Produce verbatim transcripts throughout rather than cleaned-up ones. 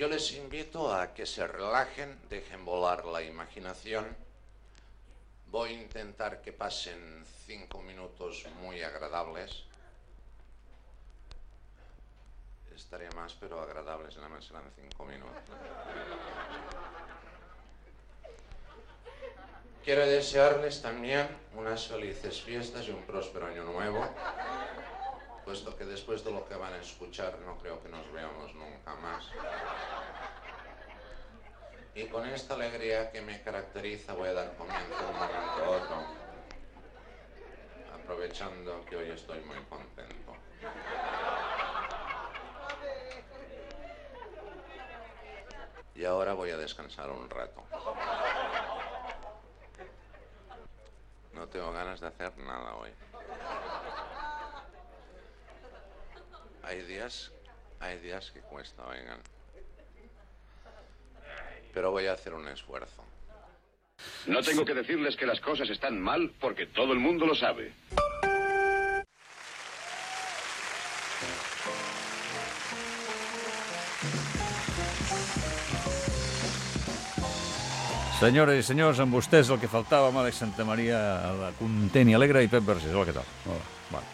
Yo les invito a que se relajen, dejen volar la imaginación. Voy a intentar que pasen cinco minutos muy agradables. Estaría más, pero agradables nada más serán cinco minutos. Quiero desearles también unas felices fiestas y un próspero año nuevo, puesto que después de lo que van a escuchar no creo que nos veamos nunca más. Y con esta alegría que me caracteriza voy a dar comienzo de un momento a otro, aprovechando que hoy estoy muy contento. Y ahora voy a descansar un rato. No tengo ganas de hacer nada hoy. Hay días, hay días que cuesta, oigan. Pero voy a hacer un esfuerzo. No tengo que decirles que las cosas están mal porque todo el mundo lo sabe. Senyores i senyors, amb vostès el que faltava, amb Àlex Santamaria, la content i alegre, i Pep Vergés. Hola, què tal? Hola. Vale.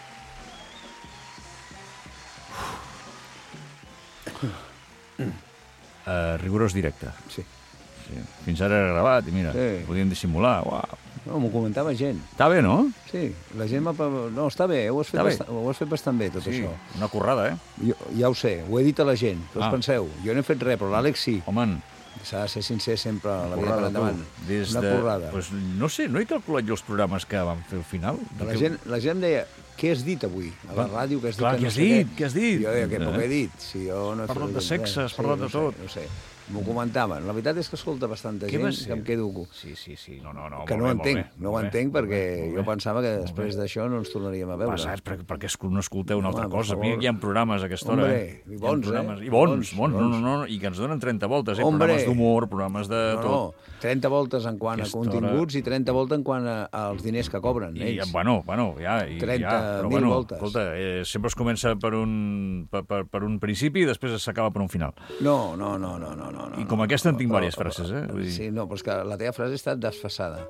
Uh, rigorós directe. Sí. Sí. Fins ara era gravat i mira, Sí. podíem dissimular. Uau. No, m'ho comentava gent. Està bé, no? Sí, la gent m'ha... No, està bé, ho has fet, Està bé. bastant, ho has fet bastant bé, tot Sí, això. una currada, eh? Jo, ja ho sé, ho he dit a la gent, què us Ah. penseu? Jo no he fet res, però l'Àlex sí. Home, S'ha de ser sincer sempre a la vida currada, per endavant. tu. Des Una de... currada. Pues, no sé, no he calculat jo els programes que vam fer al final. La gent, la gent em deia, què has dit avui? A la ràdio, què has dit? Clar, que què no has sé dit? Què Què has dit? Jo deia, que poc Eh? he dit. Si jo no he Parlat fet de res. sexe, has Sí, parlat de no sé, tot. No sé, m'ho comentaven. La veritat és que escolta bastanta Què gent va ser? que em quedo... Sí, sí, sí. No, no, no. Que molt no ho bé, molt entenc, bé, no ho molt bé, entenc molt perquè bé, molt jo bé. pensava que Molt després bé. d'això no ens tornaríem a veure. Pesats, perquè, perquè es- no escolteu una altra Home, per cosa. favor. Mira, hi ha programes a aquesta hora. Hombre, eh? i Hi ha bons, programes, eh? I bons, Bons, bons, no, bons. no, no, i que ens donen trenta voltes, eh? Hombre. Programes d'humor, programes de No, tot. no, trenta voltes en quant a Aquesta continguts i trenta voltes en quant a, als diners que cobren I, ells. bueno, bueno, ja, i, trenta ja, però mil bueno, voltes. escolta, eh, sempre es comença per un, per, per, per un principi i després s'acaba per un final. No, no, no, no, no, no. I com aquesta en tinc Però- diverses frases, eh? Vull dir... Sí, no, però és que la teva frase ha estat desfasada.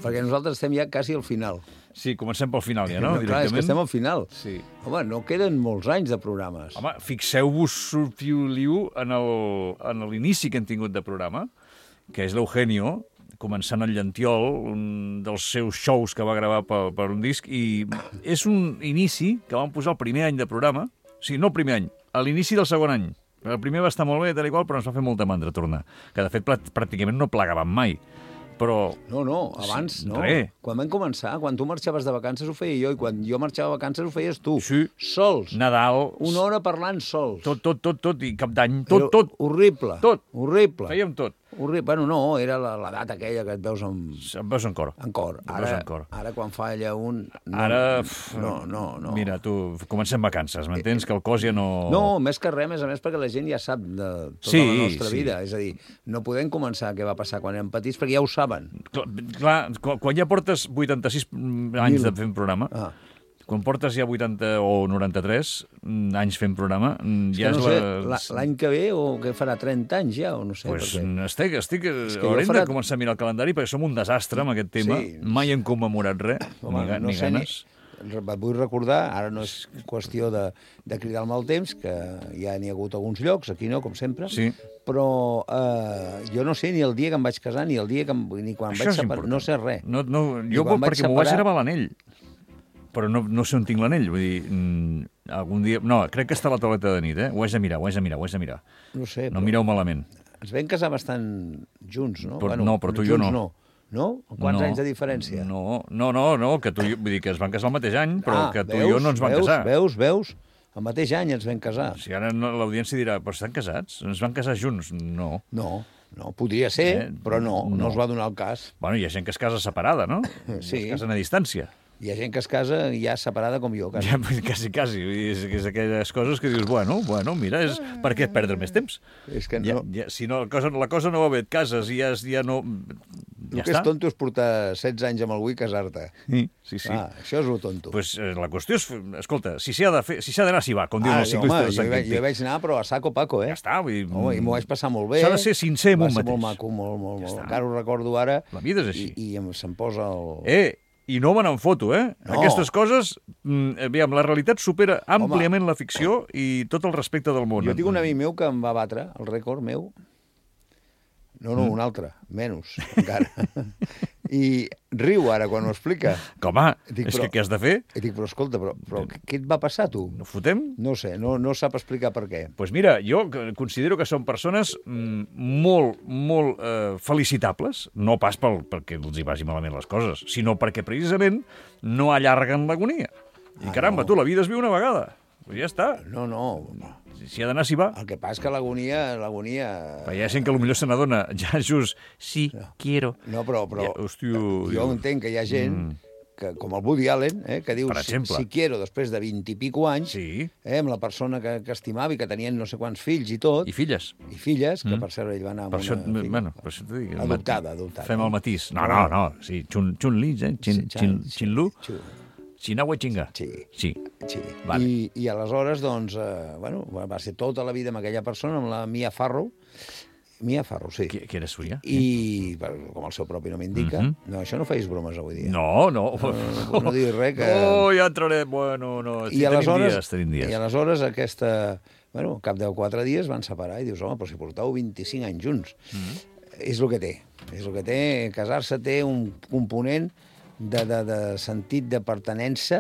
Perquè nosaltres estem ja quasi al final. Sí, comencem pel final ja, no? no clar, és que estem al final. Sí. Home, no queden molts anys de programes. Home, fixeu-vos, sortiu-liu, en el- en l'inici que hem tingut de programa, que és l'Eugenio, començant el Llantiol, un dels seus shows que va gravar per, per un disc, i és un inici que vam posar el primer any de programa, o sigui, no el primer any, a l'inici del segon any. El primer va estar molt bé, tal i qual, però ens va fer molta mandra tornar, que de fet prà- pràcticament no plegàvem mai. Però No, no, abans Sí, no. res. Quan vam començar, quan tu marxaves de vacances ho feia jo, i quan jo marxava de vacances ho feies tu. Sí. Sols. Nadal, Una hora parlant sols. tot, tot, tot, tot, i cap d'any, tot, Era tot, Horrible. Tot. Horrible. fèiem tot. Horrible. Bueno, no, era la- l'edat aquella que et veus en, Em veus en cor. en cor. Em veus Ara, en cor. ara quan falla un... No, Ara, pf, No, no, no. Mira, tu, comencem vacances, m'entens? Que el cos ja no... No, més que res, a més a més, perquè la gent ja sap de tota Sí, la nostra sí. vida. És a dir, no podem començar què va passar quan érem petits, perquè ja ho saben. Clar, clar, quan, quan ja portes vuitanta-sis anys Mil. de fent programa, Ah. quan portes ja vuitanta o noranta-tres anys fent programa, És ja que no és sé, la... la- l'any que ve o que farà trenta anys ja, o no sé. Pues perquè... estic, estic, que jo haurem farà- de començar a mirar el calendari perquè som un desastre amb aquest tema. Sí. Mai hem commemorat res, Home, ni, ga- no ni sé, ganes. Ni... Et vull recordar, ara no és qüestió de, de cridar el mal temps, que ja n'hi ha hagut alguns llocs, aquí no, com sempre, Sí. però eh, jo no sé ni el dia que em vaig casar, ni el dia que em, ni quan em Això vaig és separar, important. no sé res. No, no, I jo quan vaig perquè m'ho vaig separar- gravar a l'anell, però no, no sé on tinc l'anell. Vull dir, mm, algun dia... No, crec que està a la tauleta de nit, eh? Ho haig de mirar, ho haig de mirar, ho haig de mirar. No sé, No però mireu malament. ens vam casar bastant junts, no? Però- no, però tu i jo junts no. no. No? Quants no, anys de diferència? No, no, no, no, que tu i jo, vull dir que es van casar el mateix any, però Ah, que tu veus, i jo no ens vam veus, casar. Veus, veus? El mateix any ens vam casar. Si ara no, l'audiència dirà, però estan casats? Ens van casar junts? No. No, no, podria ser, Eh, però no, no, no. es va donar el cas. Bueno, hi ha gent que es casa separada, no? Sí. Es casen a distància. Hi ha gent que es casa ja separada com jo. Quasi. Ja, quasi, quasi. És, és aquelles coses que dius, bueno, bueno, mira, és, per què perdre més temps? És que Ja, no... ja, si no, la cosa, la cosa no va bé, et cases i ja, ja no... El Ja que està. és tonto és portar setze anys amb algú i casar-te. Sí, sí. sí. Ah, això és lo tonto. Pues, eh, la qüestió és, escolta, si s'hi ha de fer, si s'hi ha d'anar, s'hi va, com diuen Ah, els home, ciclistes de jo, Sant hi vaig, Quintí. jo hi vaig anar, però a saco paco, eh? Ja està, vull dir... Home, i m'ho vaig passar molt bé. S'ha de ser sincer amb Va un ser molt mateix. maco, molt, molt, Ja molt. està. Encara ho recordo ara. La vida és així. I, i em- se'm posa el... Eh, i no me n'en foto, eh? No. Aquestes coses, mm, aviam, la realitat supera àmpliament la ficció i tot el respecte del món. Jo tinc un amic meu que em va batre el rècord meu. No, no, un altre, menys, encara. I riu ara quan ho explica. Que, home, Dic, és però- que què has de fer? I dic, però escolta, però, però què et va passar, tu? No fotem? No sé, no, no sap explicar per què. Doncs pues mira, jo considero que són persones mm, molt, molt eh, felicitables, no pas pel, perquè els hi vagi malament les coses, sinó perquè precisament no allarguen l'agonia. I Ah, caramba, no. tu, la vida es viu una vegada. Pues ja està. No, no, Si ha d'anar, s'hi va. el que passa és que l'agonia... l'agonia... Però hi ha gent que potser se n'adona ja just, sí, quiero. No, però, però Ja, hòstia, jo diu- entenc que hi ha gent que, com el Woody Allen, eh, que diu Per si, exemple. si quiero després de vint i pico anys, Sí, eh, amb la persona que, que estimava i que tenien no sé quants fills i tot, i filles. i filles, que per cert ell va anar amb Per això, una... fi- bueno, per això t'ho dic. Adoptada, adoptada. Fem el matís. No, no, no, sí, Chun, Chun Li, eh? Chin, Sí, chin, sí, chin Lu, sí. Chinahua Chinga. Sí. Sí. Sí. Vale. I, I aleshores, doncs, eh, bueno, va ser tota la vida amb aquella persona, amb la Mia Farrow. Mia Farrow, sí. Qui, qui era suya? I, per- com el seu propi nom indica, no, això no feis bromes avui dia. No, no. No, no diguis res, que... No, ja entrarem. Bueno, no. I tenim aleshores, dies, tenim dies. I aleshores aquesta... Bueno, al cap de quatre dies van separar i dius, home, però si portau vint-i-cinc anys junts. Mm -hmm. És el que té. És el que té. Casar-se té un component de, de, de sentit de pertenença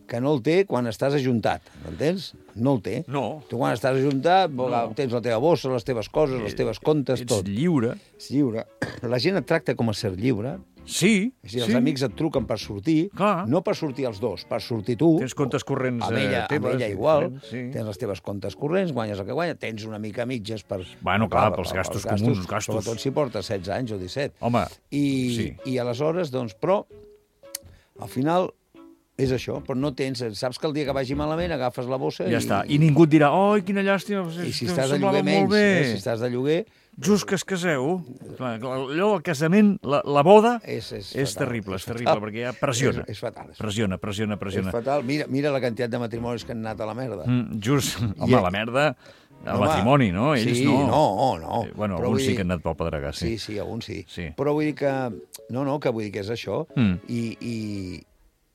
que no el té quan estàs ajuntat, m'entens? No el té. No. Tu quan estàs ajuntat no. tens la teva bossa, les teves coses, les teves comptes, Ets tot. lliure. Ets lliure. La gent et tracta com a ser lliure. Sí, És a dir, els sí. amics et truquen per sortir, Clar. no per sortir els dos, per sortir tu. Tens comptes corrents amb ella, eh, teves. amb ella igual, Sí. tens les teves comptes corrents, guanyes el que guanyes, tens una mica mitges per... Bueno, clar, pels gastos comuns, gastos. Sobretot si portes setze anys o disset. Home, I, sí. I aleshores, doncs, però, al final, és això, però no tens... Saps que el dia que vagi malament agafes la bossa ja i... està. I ningú et dirà, oi, quina llàstima. I si em estàs de semblava lloguer molt menys, bé. eh, si estàs de lloguer... Just que es caseu, clar, clar, allò del casament, la, la boda, És- és és fatal, terrible, és és terrible, fatal. perquè ja pressiona. És- és fatal, és Pressiona, pressiona, És pressiona. fatal. Mira, mira la quantitat de matrimonis que han anat a la merda. Mm, just, home, I- la merda, el Home, matrimoni, no? Ells sí, no. no, no. Eh, Bueno, Però alguns vull sí dir- que han anat pel pedregà, Sí, sí. sí, alguns sí. Sí. Però vull dir que... No, no, que vull dir que és això. Mm. I, i,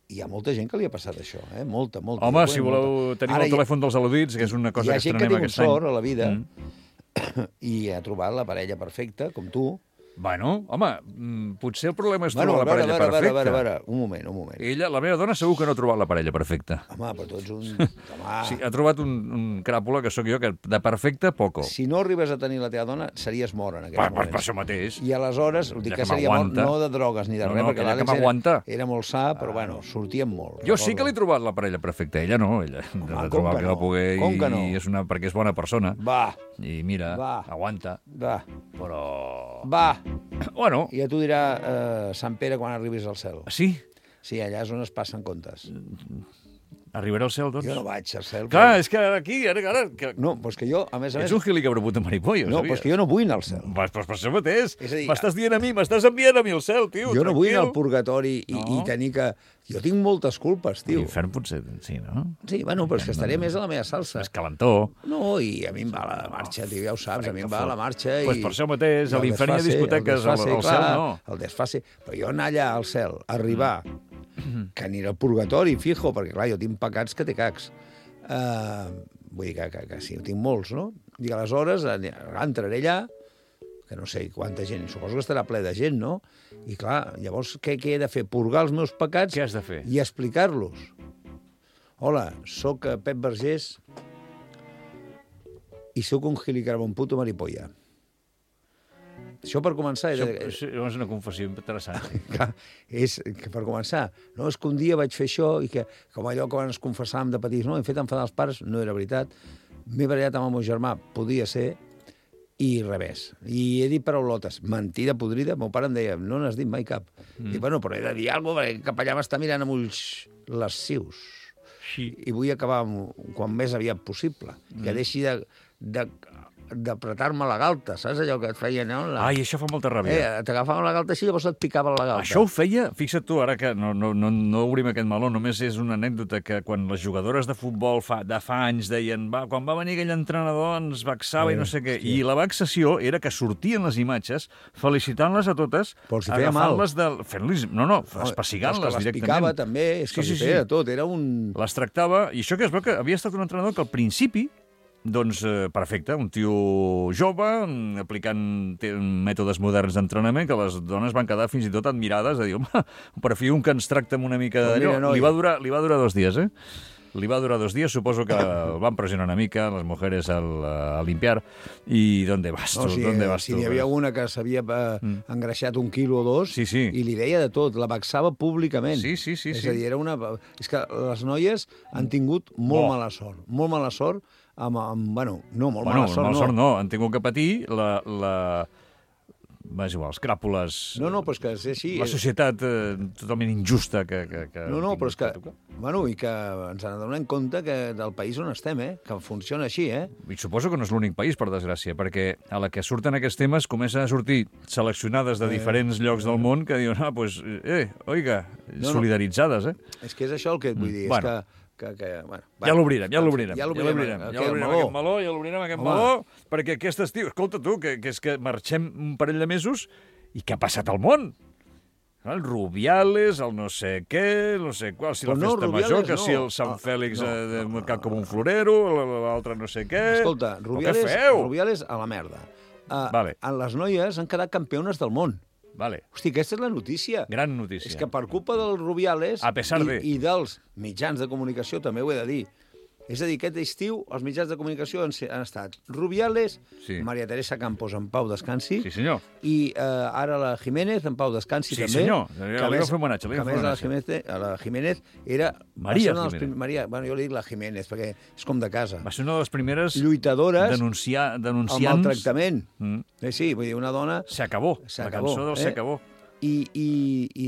hi ha molta gent que li ha passat això, eh? Molta, molta. Home, Jo si conec voleu, molta. tenim Ara el telèfon dels al·ludits, que és una Hi cosa ha que gent que estrenem ha tingut aquest any. sort a la vida Mm. i ha trobat la parella perfecta, com tu. Bueno, home, mm, potser el problema és Bueno, trobar a la veure, a parella veure, a veure, a perfecta. veure, a veure, un moment, un moment. Ella, la meva dona, segur que no ha trobat la parella perfecta. Home, però tu ets un... Home, Sí, ha trobat un, un cràpula, que sóc jo, que de perfecte, poco. si no arribes a tenir la teva dona, series mort en Per, aquell per, moment. per això mateix. I aleshores, ho dic Ja que que seria mort m'aguanta. no de drogues ni de No, res, no, perquè aquella que l'Àlex m'aguanta. era, era molt sa, però bueno, sortíem molt. Jo sí que recordo. l'he trobat la parella perfecta, ella no, ella de com trobar que que va no? poder Com que no? i és una, perquè és bona persona. Va, I mira, Va. aguanta, va, però... va. Bueno, I ja t'ho dirà eh, Sant Pere quan arribis al cel. sí, Sí, allà és on es passen comptes. arribaré al cel, doncs. Jo no vaig al cel. Clar, és que ara aquí, ara, ara... Que... No, però és que jo, a més a més... Ets un gilicabreput de maripollo, No, però és que jo no vull anar al cel. Vas, pues per això mateix. És a dir, M'estàs dient a mi, m'estàs enviant a mi al cel, tio, Jo no vull anar al tranquil. purgatori i, No. i tenir que... Jo tinc moltes culpes, tio. L'infern potser, sí, no? Sí, bueno, però és que estaré més a la meva salsa. És calentó. No, i a mi em va la marxa, tio, ja ho saps, a mi em va la marxa i... Pues per això mateix, i a el l'infern hi ha desfase, discoteques, el desfase, al- al clar, cel no. El desfase. Però jo anar allà al cel, arribar, que aniré al purgatori, fijo, perquè clar, jo tinc pecats que té cacs. Uh, vull dir que, que, que sí, tinc molts, no? I aleshores eh, entraré allà, que no sé quanta gent, suposo que estarà ple de gent, no? I clar, llavors què, què he de fer? Purgar els meus pecats Què has de fer? i explicar-los. Hola, sóc eh, Pep Vergés i sóc un gilicarabon puto maripolla. Això per començar... Això, He de... això és una confessió interessant. Clar, és que per començar, no, és que un dia vaig fer això i que, com allò que ens confessàvem de petits, no, hem fet enfadar els pares, no era veritat, m'he barallat amb el meu germà, podia ser, i revés. I he dit paraulotes. Mentida podrida. Meu pare em deia, no n'has dit mai cap. Mm. I bueno, però he de dir alguna cosa, perquè cap allà m'està mirant amb ulls lascius. Sí. I vull acabar amb, quan més aviat possible. Mm. Que deixi de... de d'apretar-me la galta, saps allò que et feia, no? La... Ai, això fa molta ràbia. Eh, t'agafaven la galta així, llavors et picaven la galta. Això ho feia, fixa't tu, ara que no, no, no, no obrim aquest meló, només és una anècdota que quan les jugadores de futbol fa, de fa anys deien, va, quan va venir aquell entrenador ens vexava eh, i no sé què, hòstia. I la vexació era que sortien les imatges felicitant-les a totes, si agafant-les de... fent-les, no, no, espassigant-les directament. Les picava també, és que sí, sí, feia sí. tot, era un... Les tractava, i això que es veu que havia estat un entrenador que al principi doncs, eh, perfecte, un tio jove, aplicant mètodes moderns d'entrenament, que les dones van quedar fins i tot admirades, de dir, home, per fi un que ens tracta amb una mica d'allò. No, li, va durar, li va durar dos dies, eh? Li va durar dos dies, suposo que el van pressionar una mica, les mujeres al, a limpiar, i ¿dónde vas tu? No, si, ¿Dónde vas si tu? Si n'hi havia una que s'havia eh, mm. engreixat un quilo o dos, sí, sí. i li deia de tot, la vexava públicament. Sí, sí, sí. És sí. a dir, era una... És que les noies han tingut molt oh. mala sort, molt mala sort, amb, amb bueno, no, molt bueno, mala sort, mala no. sort no, han tingut que patir la... la... És igual, els cràpules... No, no, però és que és així... La societat eh, totalment injusta que... que, que no, no, però és que... Bueno, i que ens n'adonem compte que del país on estem, eh? Que funciona així, eh? I suposo que no és l'únic país, per desgràcia, perquè a la que surten aquests temes comencen a sortir seleccionades de diferents eh, llocs del món que diuen, ah, doncs, eh, oiga, no, solidaritzades, eh? És que és això el que et vull dir, bueno. és que... Que, que, bueno, ja l'obrirem, ja l'obrirem. Ja l'obrirem, ja l'obrirem aquest meló, ja l'obrirem aquest meló, perquè aquest estiu, escolta tu, que, que és que marxem un parell de mesos i què ha passat al món? El Rubiales, el no sé què, no sé qual, si la no, festa Rubiales, major, que no. si el Sant Fèlix no, eh, no, no, cap com un florero, l'altre no sé què... Escolta, Rubiales, Rubiales a la merda. Uh, vale. Les noies han quedat campiones del món. Vale. Hosti, aquesta és la notícia. Gran notícia. És que per culpa dels Rubiales a pesar i, de... i dels mitjans de comunicació, també ho he de dir, és a dir, aquest estiu els mitjans de comunicació han, han estat Rubiales, sí. Maria Teresa Campos en pau descansi, sí, senyor. I uh, ara la Jiménez en pau descansi sí, també. Sí, senyor. Que li va fer homenatge. Que a més la Jiménez, la Jiménez era... Maria Jiménez. Prim... Maria, bueno, jo li dic la Jiménez, perquè és com de casa. Va ser una de les primeres lluitadores denunciar, denunciants... al maltractament. Mm. Eh, sí, vull dir, una dona... S'acabó. La cançó del eh? S'acabó. I, i, i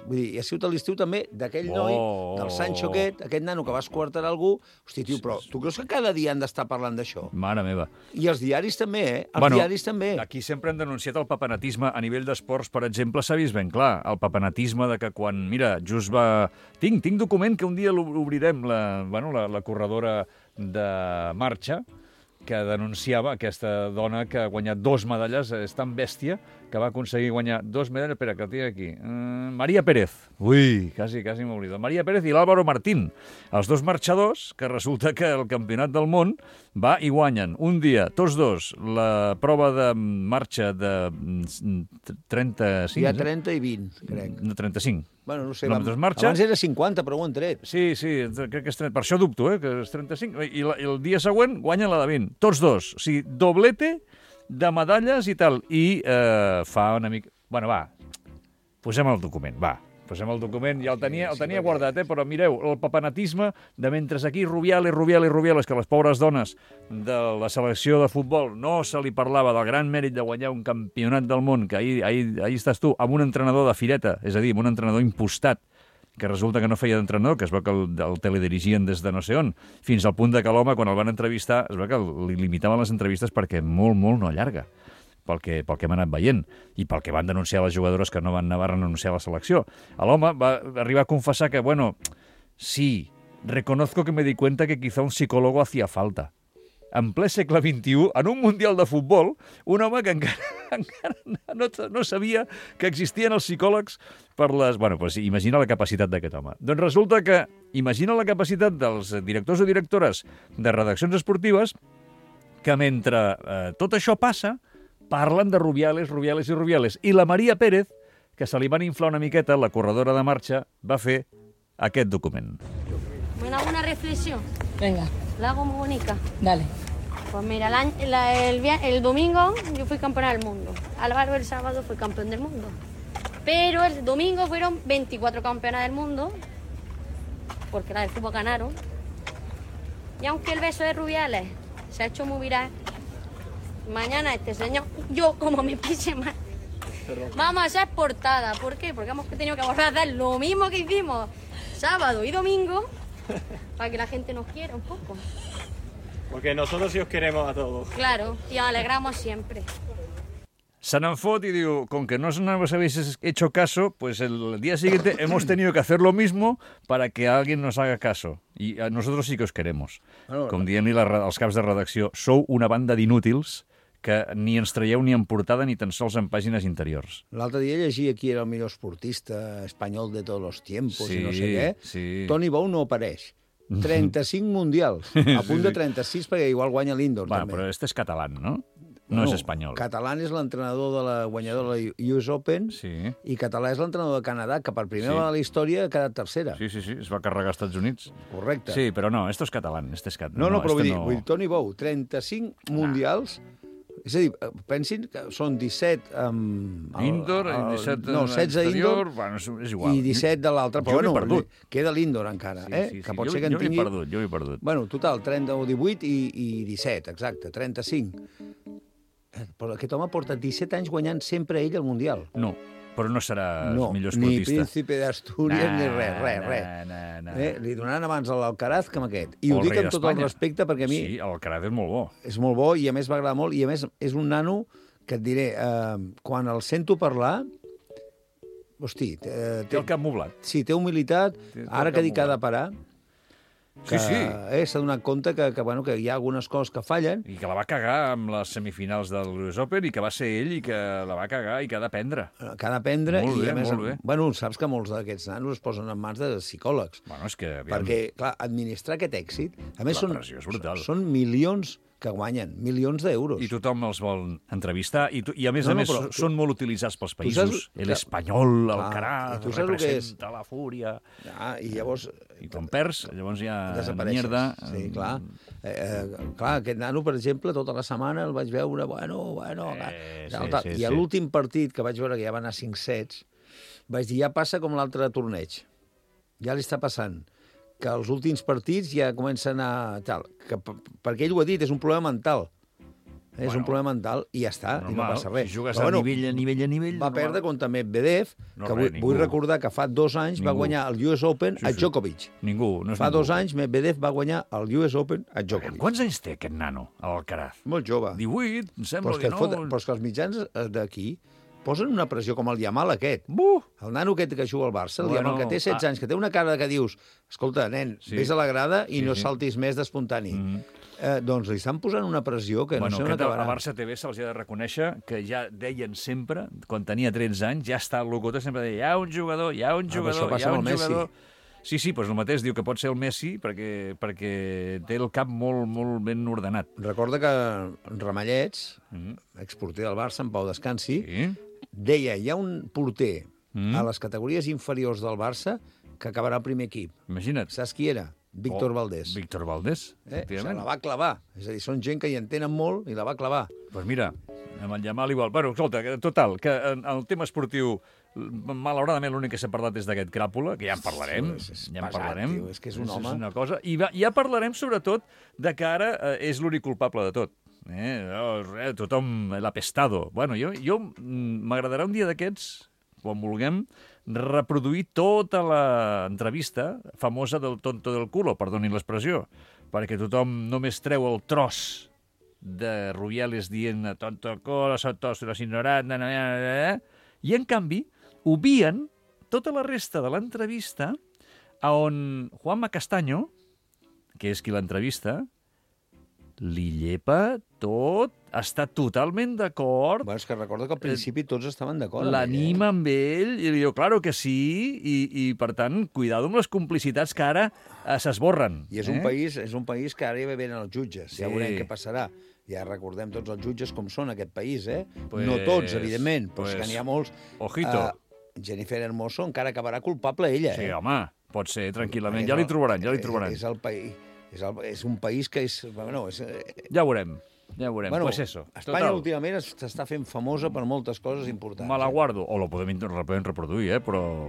vull dir, i ha sigut a l'estiu també d'aquell oh. noi, del Sancho aquest, aquest nano que va esquartar algú. Hosti, tio, però tu creus que cada dia han d'estar parlant d'això? Mare meva. I els diaris també, eh? Els bueno, diaris també. Aquí sempre han denunciat el papanatisme. A nivell d'esports, per exemple, s'ha vist ben clar. El papanatisme de que quan, mira, just va... Tinc, tinc document que un dia l'obrirem, la, bueno, la, la corredora de marxa, que denunciava aquesta dona que ha guanyat dos medalles, és tan bèstia, que va aconseguir guanyar dos medalles... Espera, que el tinc aquí. Uh, Maria Pérez. Ui, quasi, quasi m'he oblidat. Maria Pérez i l'Álvaro Martín. Els dos marxadors, que resulta que el campionat del món va i guanyen un dia, tots dos, la prova de marxa de trenta-cinc... Hi ha trenta i vint, crec. No, trenta-cinc. Bueno, no sé, vam... abans era cinquanta, però ho han tret. Sí, sí, crec que és trenta. Per això dubto, eh, que és trenta-cinc. I, la, i el dia següent guanyen la de vint. Tots dos. O sigui, doblete de medalles i tal. I eh, fa una mica... Bueno, va, posem el document, va. Posem el document, ja el tenia, el tenia guardat, eh? Però mireu, el papanatisme de mentre aquí Rubiales, Rubiales, Rubiales, que les pobres dones de la selecció de futbol no se li parlava del gran mèrit de guanyar un campionat del món, que ahir, ahir, ahir estàs tu, amb un entrenador de fireta, és a dir, amb un entrenador impostat, que resulta que no feia d'entrenador, que es veu que el, el teledirigien des de no sé on, fins al punt de que l'home, quan el van entrevistar, es veu que li limitaven les entrevistes perquè molt, molt no allarga. Pel que, pel que hem anat veient, i pel que van denunciar les jugadores que no van anar a renunciar a la selecció. L'home va arribar a confessar que, bueno, sí, reconozco que me di cuenta que quizá un psicólogo hacía falta. En ple segle vint-i-u, en un mundial de futbol, un home que encara, encara no, no sabia que existien els psicòlegs per les... Bueno, doncs imagina la capacitat d'aquest home. Doncs resulta que, imagina la capacitat dels directors o directores de redaccions esportives que mentre eh, tot això passa, parlen de Rubiales, Rubiales i Rubiales. I la Maria Pérez, que se li van inflar una miqueta, la corredora de marxa, va fer aquest document. ¿Me hago una reflexión? Venga. La hago muy bonita. Dale. Pues mira, el, año, la, el, el domingo yo fui campeona del mundo. Álvaro el sábado fue campeón del mundo. Pero el domingo fueron veinticuatro campeonas del mundo, porque la del fútbol ganaron. Y aunque el beso de Rubiales se ha hecho muy viral, mañana este señor, yo como me pise mal, vamos a hacer portada. ¿Por qué? Porque hemos tenido que volver a hacer lo mismo que hicimos sábado y domingo para que la gente nos quiera un poco. Porque nosotros sí os queremos a todos. Claro, y os alegramos siempre. Se n'en fot y digo, con que no nos habéis hecho caso, pues el día siguiente hemos tenido que hacer lo mismo para que alguien nos haga caso. Y a nosotros sí que os queremos. Bueno, Com dient-li la- als caps de redacció, sou una banda d'inútils que ni ens traieu ni en portada ni tan sols en pàgines interiors. L'altre dia llegia qui era el millor esportista espanyol de tots els tiempos Sí, i no sé què. sí. Toni Bou no apareix. trenta-cinc mundials, a punt sí, de sí. trenta-sis perquè igual guanya l'Indoor. Bueno, també. però este és català, no? No és espanyol. Català és l'entrenador de la guanyadora de la U S Open Sí. i Català és l'entrenador de Canadà, que per primera Sí. vegada a la història ha quedat tercera. Sí, sí, sí, es va carregar als Estats Units. Correcte. Sí, però no, esto és català, este és català. No, no, però vull este dir, vull dir, Toni Bou, trenta-cinc mundials. És a dir, pensin que són disset... Um, Indoor, i disset no, setze exterior, indoor bueno, és, és igual. i disset de l'altre. Jo Però m'he bueno, perdut. queda l'Indoor encara, Sí, eh? sí, sí. Que pot jo, ser que en jo tingui... m'he perdut, jo m'he perdut. Bueno, total, trenta o divuit i, i disset, exacte, trenta-cinc. Eh, Però aquest home porta disset anys guanyant sempre ell el Mundial. No, però no serà No, el millor ni esportista. príncipe d'Astúries, ni res, res, res. No, no, Eh, li donaran abans a l'Alcaraz que amb aquest. I O ho el dic rei amb tot el d'Espanya. respecte perquè a mi Sí, el Alcaraz és molt bo. és molt bo i a més m'agrada molt i a més és un nano que et diré, eh, quan el sento parlar, hosti, eh, Té el cap moblat. sí, té humilitat, Té- té ara el que cap dic que ha de moblat. parar, que Sí, sí. eh, s'ha donat compte que, que, bueno, que hi ha algunes coses que fallen. I que la va cagar amb les semifinals del U S Open i que va ser ell i que la va cagar i que ha d'aprendre. Que ha d'aprendre Molt i, bé, a més, molt bé. bueno, saps que molts d'aquests nanos es posen en mans de psicòlegs. Bueno, és que... Aviam, Perquè, clar, administrar aquest èxit... A més, La són, pressió és brutal. són milions que guanyen, milions d'euros. I tothom els vol entrevistar i, tu, i a més No, a no, més però tu- són molt utilitzats pels saps països. que- El espanyol, el Ah, Alcaraz, i tu saps el que és? representa la fúria. Ah, I llavors... I quan perds, llavors ja desapareixes. mierda. Sí, clar. Eh, eh, clar, aquest nano, per exemple, tota la setmana el vaig veure, bueno, bueno... Eh, tal, sí, tal. sí, I sí. a l'últim partit, que vaig veure que ja va anar cinc sets, vaig dir, ja passa com l'altre torneig. Ja li està passant que els últims partits ja comencen a... Tal, que, per- perquè ell ho ha dit, és un problema mental. És Bueno, un problema mental i ja està, i no Normal, passa res. si jugues Però, a nivell, a nivell, a nivell... va normal. perdre contra Medvedev, No, que res, vull, ningú. vull recordar que fa dos anys va Ningú. guanyar el U S Open Sí, a sí. Djokovic. Ningú, no és Fa ningú. dos anys Medvedev va guanyar el U S Open a Djokovic. Quants anys té aquest nano, l'Alcaraz? Molt jove. divuit, em Però sembla, és, que et dinou... fot, però és que els mitjans eh, d'aquí posen una pressió com el Yamal aquest. Buh! El nano aquest que juga al Barça, el Bueno, Yamal, que té setze ah. anys, que té una cara que dius, escolta, nen, Sí. vés a la grada i Sí, no sí. saltis més d'espontani. Mm. Eh, doncs li estan posant una pressió que Bueno, no sé on aquest, a acabarà. Barça T V se'ls ha de reconèixer que ja deien sempre, quan tenia tretze anys, ja està el locutor, sempre deia, hi ha un jugador, hi ha un Ah, però jugador, això hi passa ha un amb el Messi. jugador... Sí, sí, doncs el mateix diu que pot ser el Messi perquè, perquè té el cap molt, molt ben ordenat. Recorda que Ramallets, Mm. exporter del Barça, en Pau Descansi, Sí? deia, hi ha un porter Mm. a les categories inferiors del Barça que acabarà al primer equip. Imagina't. Saps qui era? Víctor Oh, Valdés. Víctor Valdés, Eh? O sigui, efectivament. la va clavar. És a dir, són gent que hi entenen molt i la va clavar. Doncs pues mira, amb el Yamal igual. Bueno, escolta, que, total, que en el tema esportiu, malauradament l'únic que s'ha parlat és d'aquest Cràpula, que ja en parlarem, Sí, és- és ja en pesat, parlarem. tio, és que és un és, home. És una cosa. I va, ja parlarem, sobretot, de que ara eh, és l'únic culpable de tot. Eh? Oh, res, tothom l'ha pestado. Bueno, jo, jo mm, m'agradarà un dia d'aquests, quan vulguem, reproduir tota l'entrevista famosa del tonto del culo, perdonin l'expressió, perquè tothom només treu el tros de Rubiales dient tonto el culo, són tots los ignorants, na, na, na, na, i en canvi obvien tota la resta de l'entrevista a on Juanma Castaño, que és qui l'entrevista, li llepa tot, està totalment d'acord, Bueno, és que recorda que al principi tots estaven d'acord. amb l'anima amb ell, i li diu, claro que sí, i, i per tant, cuidado amb les complicitats que ara eh, s'esborren. ell. I és un, país, és un país que ara ja venen els jutges. Sí. Ja veurem què passarà. Ja recordem tots els jutges com són aquest país, eh? Pues- no tots, evidentment, però pues, és que n'hi ha molts. ojito. Uh, Jennifer Hermoso encara acabarà culpable ella, Sí, eh? home, pot ser, tranquil·lament. És Ja li el- trobaran, ja li és- trobaran. És, el país, és, el, és un país que és... Bueno, és eh, Ja ho veurem, ja ho veurem. bueno, pues eso, Espanya total. últimament es- s'està fent famosa per moltes coses importants. Me la eh? guardo, o la podem, la podem reproduir, eh? però...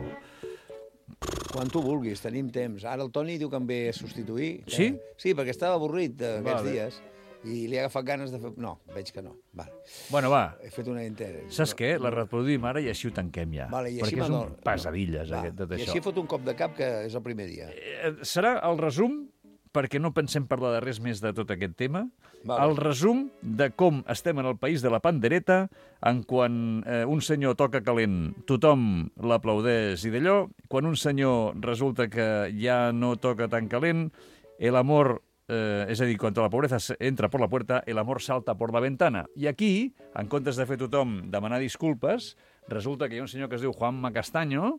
Quan tu vulguis, tenim temps. Ara el Toni diu que em ve a substituir. Sí? Eh, sí, perquè estava avorrit eh, aquests Vale. dies. I li ha agafat ganes de fer... No, veig que no. Vale. Bueno, va. He fet una inter... Saps què? La reproduïm ara i així ho tanquem ja. Vale, i així perquè és un m'adoro. pesadilles, Va, aquest, tot I això. així fot un cop de cap que és el primer dia. Eh, Serà el resum, perquè no pensem parlar de res més de tot aquest tema, Vale. el resum de com estem en el país de la pandereta, en quan eh, un senyor toca calent, tothom l'aplaudeix i d'allò, quan un senyor resulta que ja no toca tan calent, el amor... Eh, és a dir, quan la pobreza entra per la puerta, el amor salta per la ventana. I aquí, en comptes de fer tothom demanar disculpes, resulta que hi ha un senyor que es diu Juanma Castaño,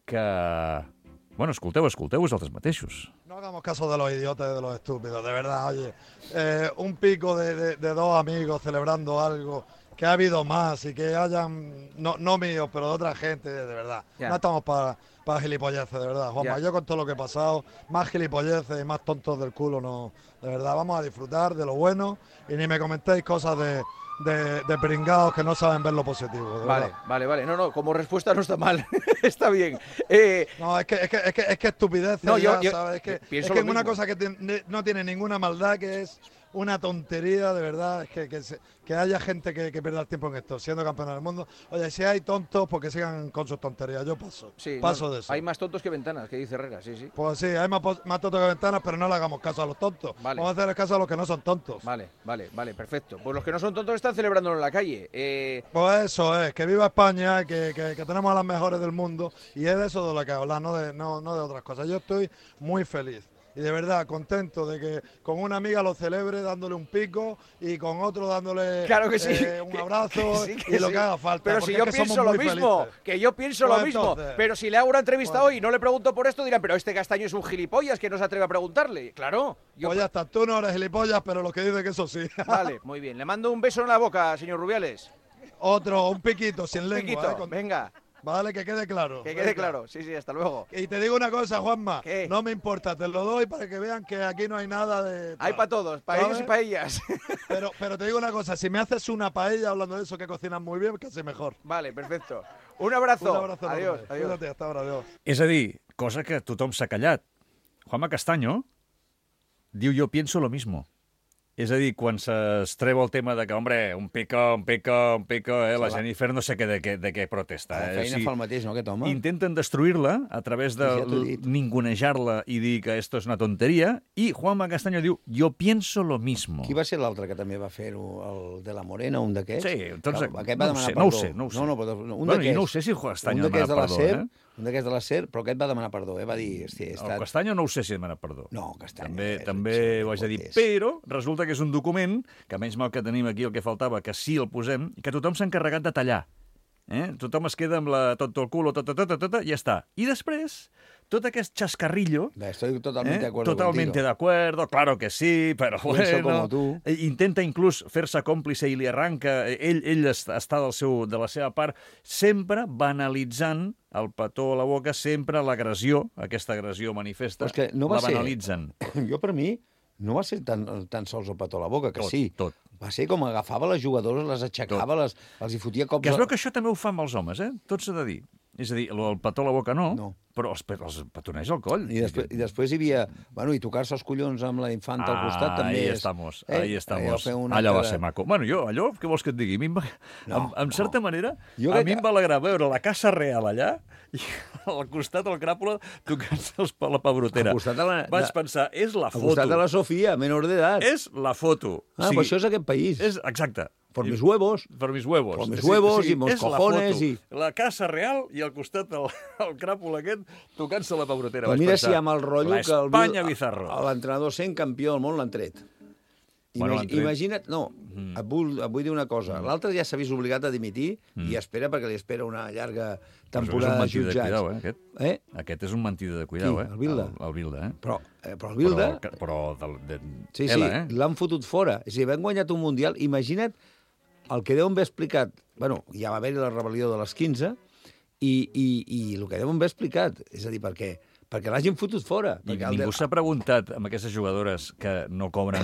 que... Bueno, escolteu, escolteu vosaltres mateixos. No hagamos caso de los idiotas y de los estúpidos, de verdad, oye. Eh, un pico de, de, de dos amigos celebrando algo, que ha habido más y que hayan, no, no míos, pero de otra gente, de verdad. Ya. No estamos para para gilipolleces, de verdad, Juanma. Ya. Yo con todo lo que he pasado, más gilipolleces y más tontos del culo, no. De verdad, vamos a disfrutar de lo bueno y ni me comentéis cosas de, de, de pringados que no saben ver lo positivo, de Vale, verdad. vale, vale. No, no, como respuesta no está mal. Está bien. Eh, No, es que es que es que, es que estupidez, No, yo- ya, yo ¿sabes? Es que, pienso es que lo es una mismo. cosa que tiene- no tiene ninguna maldad, que es una tontería, de verdad, es que, que, se- que haya gente que, que pierda el tiempo en esto, siendo campeón del mundo. Oye, si hay tontos, pues que sigan con sus tonterías, yo paso, sí, paso no, de eso. Hay más tontos que ventanas, que dice Herrera, sí, sí. Pues sí, hay más, pos- más tontos que ventanas, pero no le hagamos caso a los tontos. Vale. Vamos a hacer caso a los que no son tontos. Vale, vale, vale, perfecto. Pues los que no son tontos están celebrándolo en la calle. Eh, Pues eso es, que viva España, que, que, que tenemos a las mejores del mundo, y es de eso de lo que hablas, no de, no, no de otras cosas. Yo estoy muy feliz. Y de verdad, contento de que con una amiga lo celebre dándole un pico y con otro dándole Claro que sí. eh, un abrazo que sí, que y lo sí. que haga falta. Pero porque si yo es que pienso somos lo muy mismo, felices. que yo pienso Pues lo mismo. entonces, Pero si le hago una entrevista pues- hoy y no le pregunto por esto, dirán, pero este Castaño es un gilipollas que no se atreve a preguntarle. Claro. Yo... Pues ya está, tú no eres gilipollas, pero lo que dice que eso sí. Vale, muy bien. Le mando un beso en la boca, señor Rubiales. Otro, un piquito sin Un lengua. piquito, eh, con- venga, Vale, que quede claro. que quede Venga. claro. Sí, sí, hasta luego. Y te digo una cosa, Juanma, ¿Qué? no me importa, te lo doy para que vean que aquí no hay nada de... Hay para todos, para ellos y ¿Sabes? para ellas. Pero, pero te digo una cosa, si me haces una paella hablando de eso que cocinan muy bien, casi mejor. Vale, perfecto. Un abrazo. Un abrazo Adiós, enorme. adiós. Cuídate, hasta ahora, adiós. És a dir, cosa que tothom s'ha callat. Juanma Castaño diu yo pienso lo mismo. És a dir, quan s'estreva el tema de que, hombre, un pico, un pico, un pico, eh, la Se la- Jennifer no sé què, de, què, de què protesta. La Eh? feina fa el mateix, no, aquest home? Intenten destruir-la a través de Ja t'ho he dit. ningunejar-la i dir que esto és una tonteria, i Juanma Castaño diu, yo pienso lo mismo. Qui va ser l'altre que també va fer-ho? El de la Morena, un d'aquests? Sí, tots... Que aquest va no ho demanar sé, perdó. no ho sé, no ho sé. No, no, però un bueno, d'aquests. i no ho sé si Castaño un demana d'aquests de la perdó, SER, eh? un d'aquests de la SER, però aquest va demanar perdó, eh? Va dir, hosti, he El estat... Castaño no ho sé si demana perdó. No, Castaño. També, és- també és- ho haig de dir. és- Però resulta que és un document, que menys mal que tenim aquí el que faltava, que sí el posem, i que tothom s'ha encarregat de tallar. Eh? Tothom es queda amb la, tot el culo, tot, tot, tot, tot, tot, i ja està. I després, tot aquest chascarrillo... Bé, Estoy totalmente de ¿eh? acuerdo Totalmente contigo. de acuerdo, claro que sí, pero Pienso bueno... como tú. Eh, Intenta inclús fer-se còmplice i li arranca... eh, Ell, ell est- està del seu, de la seva part, sempre banalitzant el petó a la boca, sempre l'agressió, aquesta agressió manifesta, Però és que no va la ser- banalitzen. Jo, per mi, no va ser tan, tan sols el petó a la boca, que Tot, sí. tot. Va ser com agafava les jugadores, les aixecava, les, els hi fotia cops... Que es a- veu que això també ho fa amb els homes, eh? Tot s'ha de dir. És a dir, el petó a la boca no, No. però els, pe- els petoneja al coll. I després, I després hi havia... Bueno, i tocar-se els collons amb la infanta al costat també ahí és... estamos, eh? ahí estamos. fer una Allò va cara- ser maco. Bueno, jo, allò, què vols que et digui? A mi em va, No, en, en certa no. manera, Jo a crec mi que- em va alegrar veure la Casa Real allà i al costat el cràpula tocant-se els per la pebrotera. Al costat de la- Vaig de- pensar, és la Al foto. costat de la Sofia, menor d'edat. És la foto. Ah, però això és aquest país. És, exacte. Por mis huevos. Per mis huevos. Por mis Sí, huevos sí, i mos és la cojones foto. i- La Casa Real i al costat el, el cràpul aquest tocant-se la pebrotera. Però Vaig mira pensar, si amb el rotllo que el Espanya Bizarro. l'entrenador sent campió del món l'han tret. Bueno, Imagi l'han tret. Imagina't, no, mm. et, vull, et vull dir una cosa. Mm. L'altre ja s'ha vist obligat a dimitir mm. i espera perquè li espera una llarga temporada de Però és un mentider de jutjats. cuidao, eh, aquest. Eh? Aquest és un mentider de cuidao, Qui? eh? El Bilda? El, el Bilda, eh? Però, eh, però el Bilda... Però, però de, de, Sí, sí, Ela, eh? l'han fotut fora. És a dir, han guanyat un Mundial. Imagina't el que deuen haver explicat... Bueno, ja va haver la rebel·lió de les quinze i, i, i el que deuen haver explicat. És a dir, per què? Perquè l'hagin fotut fora. I perquè el ningú de- s'ha preguntat amb aquestes jugadores que no cobren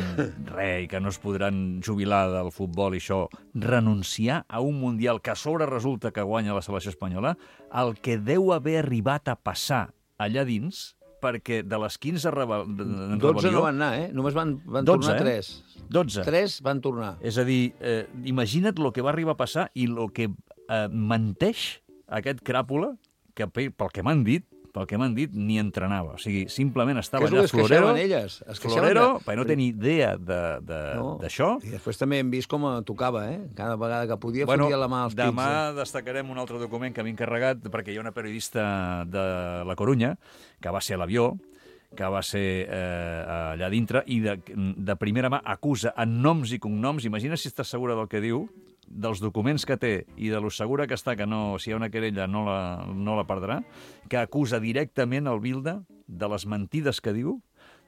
res i que no es podran jubilar del futbol i això, renunciar a un Mundial que a sobre resulta que guanya la selecció espanyola, el que deu haver arribat a passar allà dins perquè de les quinze reba... en dotze rebel·lió... no van anar, eh? Només van, van dotze, tornar eh? tres. dotze. Tres van tornar. És a dir, eh, imagina't el que va arribar a passar i el que eh, menteix aquest cràpula, que pel que m'han dit, pel que m'han dit, ni entrenava. O sigui, simplement estava Que és allà el que es florero, queixaven elles. Es queixaven florero, de- perquè no tenia idea d'això. I després també hem vist com tocava, eh? Cada vegada que podia Bueno, fotia la mà als pits. demà eh? destacarem un altre document que m'he encarregat, perquè hi ha una periodista de La Corunya, que va ser a l'avió, que va ser eh, allà dintre, i de, de primera mà acusa en noms i cognoms, imagina si estàs segura del que diu, dels documents que té i de lo segura que està que no, si hi ha una querella no la, no la perdrà, que acusa directament el Bilda de les mentides que diu,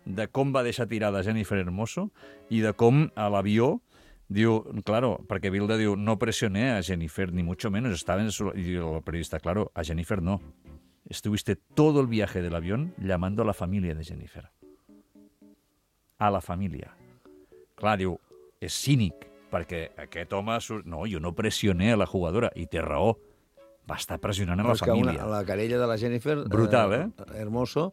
de com va deixar tirada Jennifer Hermoso i de com a l'avió diu, claro, perquè Bilda diu, no presioné a Jennifer, ni mucho menos, estaba en su... Y el periodista, claro, a Jennifer no. Estuviste todo el viaje del avión llamando a la familia de Jennifer. A la família. Clar, diu, és cínic, perquè aquest home... Surt... No, jo no pressioné a la jugadora, i té raó. Va estar pressionant a la Però és que família. Una, la querella de la Jennifer... Brutal, eh? Hermoso,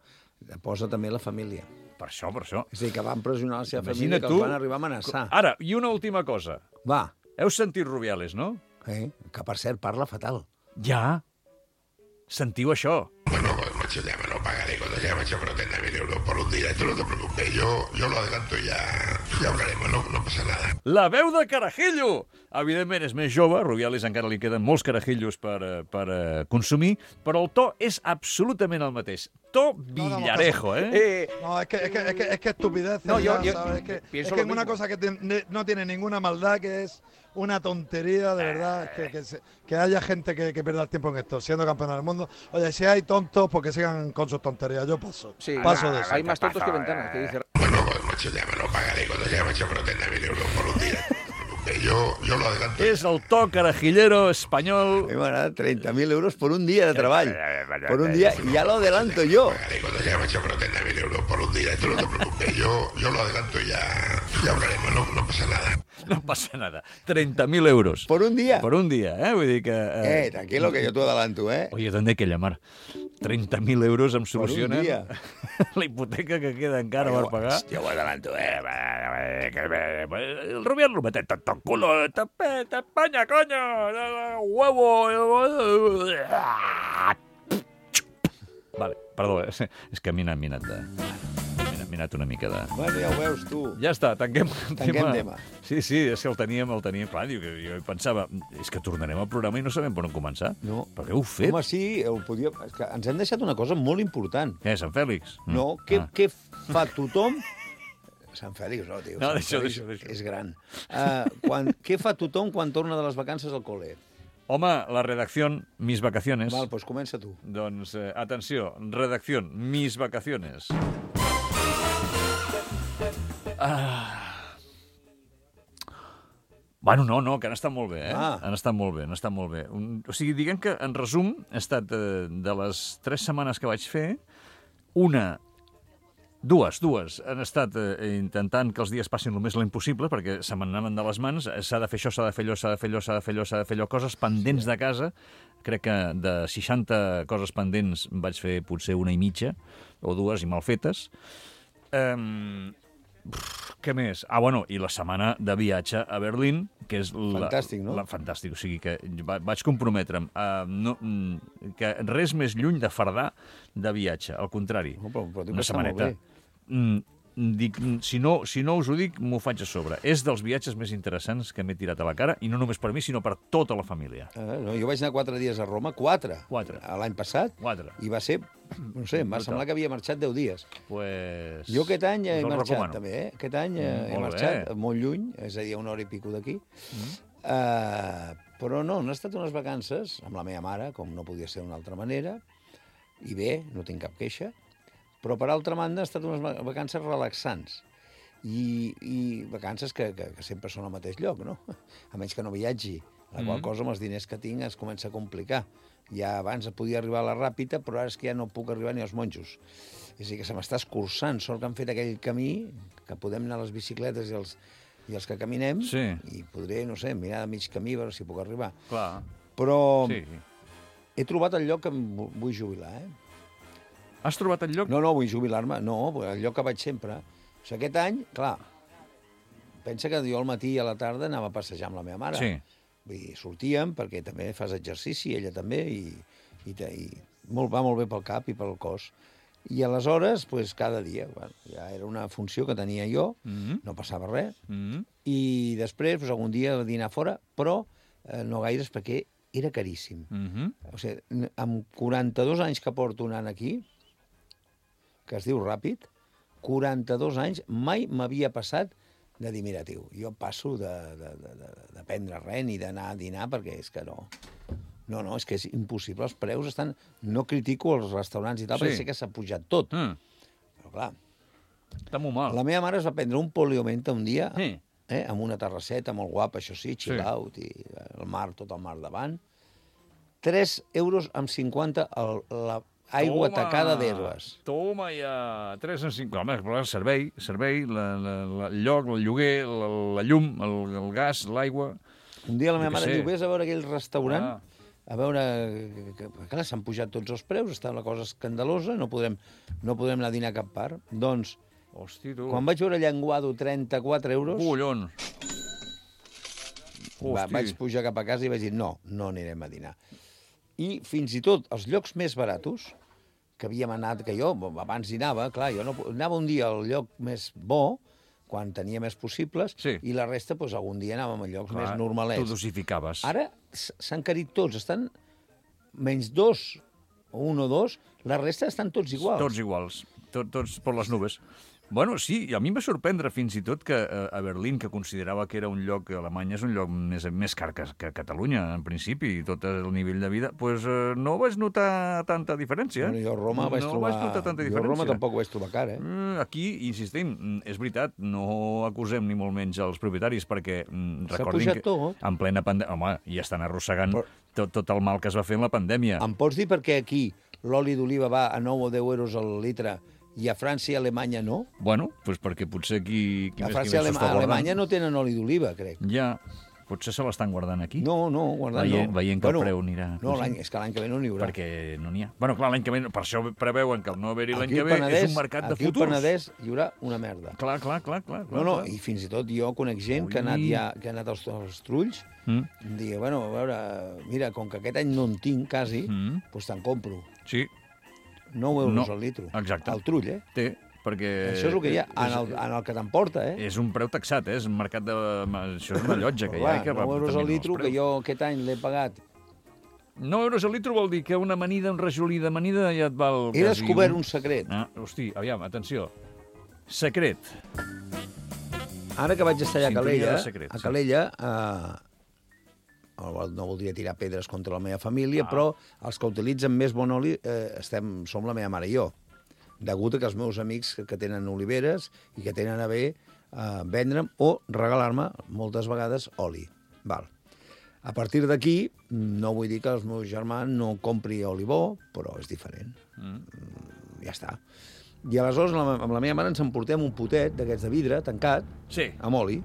posa també la família. Per això, per això. És a dir, que van pressionar la seva Imagina't família, que tu- els van arribar a amenaçar. Ara, i una última cosa. Va, Heu sentit Rubiales, no? eh? Que per cert parla fatal. Ja. Sentiu això. Bueno, pues macho, ya me lo pagaré cuando ya me he hecho por treinta mil euros por un día. Tú no te preocupes, yo, yo lo adelanto y ya, ya hablaremos, no, no pasa nada. La veu de Carajillo! Evidentment és més jove, Rubiales encara li queden molts carajillos per, eh, per eh, consumir, però el to és absolutament el mateix. To Villarejo, ¿eh? Eh, No, es que es, que, es, que, es que estupidez. No, yo- yo ¿sabes? Es que, pienso es que lo es una mismo. cosa que tiene- no tiene ninguna maldad, que es una tontería, de verdad, que, que, se- que haya gente que, que pierda el tiempo en esto, siendo campeón del mundo. Oye, si hay tontos, pues que sigan con sus tonterías. Yo paso. sí, paso de eso. hay más tontos que ventanas, que dice. Bueno, pues macho, ya me lo pagaré cuando ya me he hecho por treinta mil euros por un día. No te preocupes, yo, yo lo adelanto. És el to carajillero espanyol. A mi m'agrada treinta mil euros por un día de treball. Por un día, y ya lo adelanto yo. Pagaré cuando ya me he hecho por treinta mil euros por un día. Tú no te preocupes, yo, yo lo adelanto y ya, ya hablaremos, no, no pasa nada. No passa nada. treinta mil euros. Por un día. Por un día, ¿eh? Vull dir que... Eh, tranquilo, que yo te adelanto, ¿eh? Oye, ¿dónde hay que llamar? treinta mil euros em un solucionen dia. la hipoteca que queda encara per pagar. Yo lo adelanto, eh? El Rubial lo mete tanto culo, te, te España, coño, huevo. Vale, perdó, és, és que m'he anat, m'he anat de... M'he anat una mica de... Bueno, ja ho veus, tu. Ja està, tanquem el Tanquem tema. Sí, sí, és que el teníem, el teníem clar. Diu, que jo pensava, és que tornarem al programa i no sabem per on començar. No. Per què heu fet? Home, sí, ho podia... És que ens hem deixat una cosa molt important. Què, Sant Fèlix? Mm. No, què, Ah. què fa tothom... Sant Fèlix, no, tio. No, Sant deixa-ho, Fèlix deixa-ho, deixa-ho. És gran. Uh, quan, què fa tothom quan torna de les vacances al col·le? Home, la redacció, mis vacaciones. Val, doncs comença tu. Doncs, eh, atenció, redacció, mis vacaciones. Ah. Bueno, no, no, que han estat molt bé, eh? Ah. Han estat molt bé, han estat molt bé. Un, o sigui, diguem que, en resum, ha estat eh, de les tres setmanes que vaig fer, una... Dues, dues. Han estat eh, intentant que els dies passin el més lent possible, perquè se m'anaven de les mans. S'ha de fer això, s'ha de fer allò, s'ha de fer allò, s'ha de fer allò, s'ha de fer allò. Coses pendents de casa. Crec que de seixanta coses pendents vaig fer potser una i mitja, o dues, i mal fetes. Um, què més? Ah, bueno, i la setmana de viatge a Berlín, que és... La, Fantàstic, no? La, fantàstic, o sigui que va, vaig comprometre'm a no, que res més lluny de fardar de viatge, al contrari. No, però, però dic Una que està molt setmaneta. bé. Mm, dic, si, no, si no us ho dic, m'ho faig a sobre. És dels viatges més interessants que m'he tirat a la cara, i no només per mi, sinó per tota la família. Ah, no, jo vaig anar quatre dies a Roma, quatre. Quatre. L'any passat. Quatre. I va ser, no sé, em va Brutal. semblar que havia marxat deu dies. Pues... Jo aquest any he us el marxat, recomano. també, eh? Aquest any eh, Mm, he molt marxat bé. molt lluny, és a dir, a una hora i pico d'aquí. Mm. Uh, però no, han estat unes vacances amb la meva mare, com no podia ser d'una altra manera, i bé, no tinc cap queixa, però per altra banda han estat unes va- vacances relaxants. I, i vacances que, que, que sempre són al mateix lloc, no? A menys que no viatgi. La qual Mm. cosa, amb els diners que tinc, es comença a complicar. Ja abans podia arribar a la Ràpita, però ara és que ja no puc arribar ni als monjos. És a dir, que se m'està escurçant. Sort que han fet aquell camí, que podem anar a les bicicletes i els, i els que caminem, Sí. i podré, no sé, mirar de mig camí, a veure si puc arribar. Clar, Però sí. he trobat el lloc que em vu- vull jubilar, eh? Has trobat el lloc? No, no, vull jubilar-me. No, el lloc que vaig sempre. O sigui, aquest any, clar, pensa que jo al matí i a la tarda anava a passejar amb la meva mare. Sí. Vull dir, sortíem, perquè també fas exercici, ella també, i, i, i molt, va molt bé pel cap i pel cos. I aleshores, pues, cada dia, bueno, ja era una funció que tenia jo, mm-hmm. no passava res, mm-hmm. i després, pues, algun dia dinar fora, però eh, no gaires, perquè era caríssim. Mm-hmm. O sigui, amb quaranta-dos anys que porto anant aquí, que es diu ràpid, quaranta-dos anys, mai m'havia passat de dir, mira, tio, jo passo de, de, de, de, de prendre res ni d'anar a dinar, perquè és que no... No, no, és que és impossible. Els preus estan... No critico els restaurants i tal, sí. perquè sé que s'ha pujat tot. Mm. Però, clar... Està molt mal. La meva mare es va prendre un poliomenta un dia, sí. eh, amb una terrasseta molt guapa, això sí, chill sí. out, i el mar, tot el mar davant. tres euros amb cinquanta el, la aigua toma, tacada d'herbes. Toma ja! tres en cinquanta. Home, el servei, servei la, la, la, el lloc, el lloguer, la, la llum, el, el gas, l'aigua... Un dia la meva mare diu, vés a veure aquell restaurant... Ah. A veure, que, clar, s'han pujat tots els preus, està la cosa escandalosa, no podem, no podem anar a dinar a cap part. Doncs, hosti, tu. Quan vaig veure Llenguado trenta-quatre euros... Collons! Va, vaig pujar cap a casa i vaig dir, no, no anirem a dinar. I fins i tot els llocs més baratos, que havíem anat, que jo abans dinava, clar, jo no, anava un dia al lloc més bo, quan tenia més possibles, sí. i la resta, doncs, algun dia anàvem a llocs clar, més normalets. Tu dosificaves. Ara s'han carit tots, estan menys dos, o un o dos, la resta estan tots iguals. Tots iguals, Tot, tots per les nubes. Bueno, sí, a mi em va sorprendre fins i tot que a Berlín, que considerava que era un lloc, Alemanya és un lloc més, més car que, que Catalunya, en principi, i tot el nivell de vida, doncs eh, no vaig notar tanta diferència. Bueno, jo a Roma vaig no trobar... vaig notar tanta diferència. Jo a Roma tampoc ho vaig trobar car, eh? Aquí, insistim, és veritat, no acusem ni molt menys els propietaris, perquè recordin que tot. En plena pandèmia... Home, ja estan arrossegant Però... tot, tot el mal que es va fer en la pandèmia. Em pots dir per què aquí l'oli d'oliva va a nou o deu euros al litre i a França i a Alemanya no? Bueno, doncs perquè potser qui... qui a França i Alema a Alemanya no tenen oli d'oliva, crec. Ja, potser se l'estan guardant aquí. No, no, guardant veient, no. Veient que bueno, el preu anirà... No, l'any, és que l'any que ve no n'hi haurà. Perquè no n'hi ha. Bueno, clar, l'any que ve, per això preveuen que el no haver-hi l'any que ve Penedès, és un mercat de futurs. Aquí al Penedès hi haurà una merda. Clar, clar, clar. clar no, no, clar. I fins i tot jo conec gent Ui. que ha anat, ja, que ha anat als, als trulls mm. i em digui, bueno, a veure, mira, com que aquest any no en tinc quasi, mm. doncs te'n compro. Sí. nou euros no. al litro. Exacte. Al trull, eh? Té. Perquè això és el que hi ha, en el, en el que t'emporta, eh? És un preu taxat, eh? És un mercat de... Això és una llotja que hi ha. Que nou euros al litro, que jo aquest any l'he pagat. nou euros al litro vol dir que una amanida, un rajolí d'amanida ja et val... He descobert un secret. Ah, hosti, aviam, atenció. Secret. Ara que vaig estar allà a Calella, secret, a Calella, eh, no voldria tirar pedres contra la meva família, ah. però els que utilitzen més bon oli eh, estem, som la meva mare i jo. Degut a que els meus amics que, que tenen oliveres i que tenen a bé eh, vendre'm o regalar-me moltes vegades oli. Val. A partir d'aquí, no vull dir que el meu germà no compri oli bo, però és diferent. Mm. Ja està. I aleshores amb la meva mare ens emportem un potet d'aquests de vidre tancat, sí. amb oli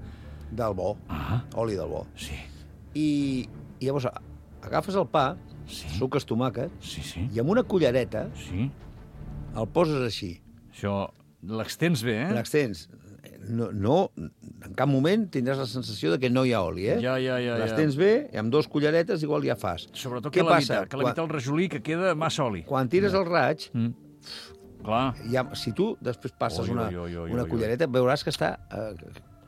del bo, ah. oli del bo. Sí. I, i llavors agafes el pa, sí. suques tomàquet, sí, sí. i amb una cullereta sí. el poses així. Això l'extens bé, eh? L'extens. No, no, en cap moment tindràs la sensació de que no hi ha oli, eh? Ja, ja, ja. L'extens ja. bé, i amb dos culleretes igual ja fas. Sobretot Què que l'evita, que l'evita el rajolí, que queda massa oli. Quan tires el raig, mm. clar. Ja, si tu després passes oi, una, oi, oi, oi, una cullereta, veuràs que està... Eh,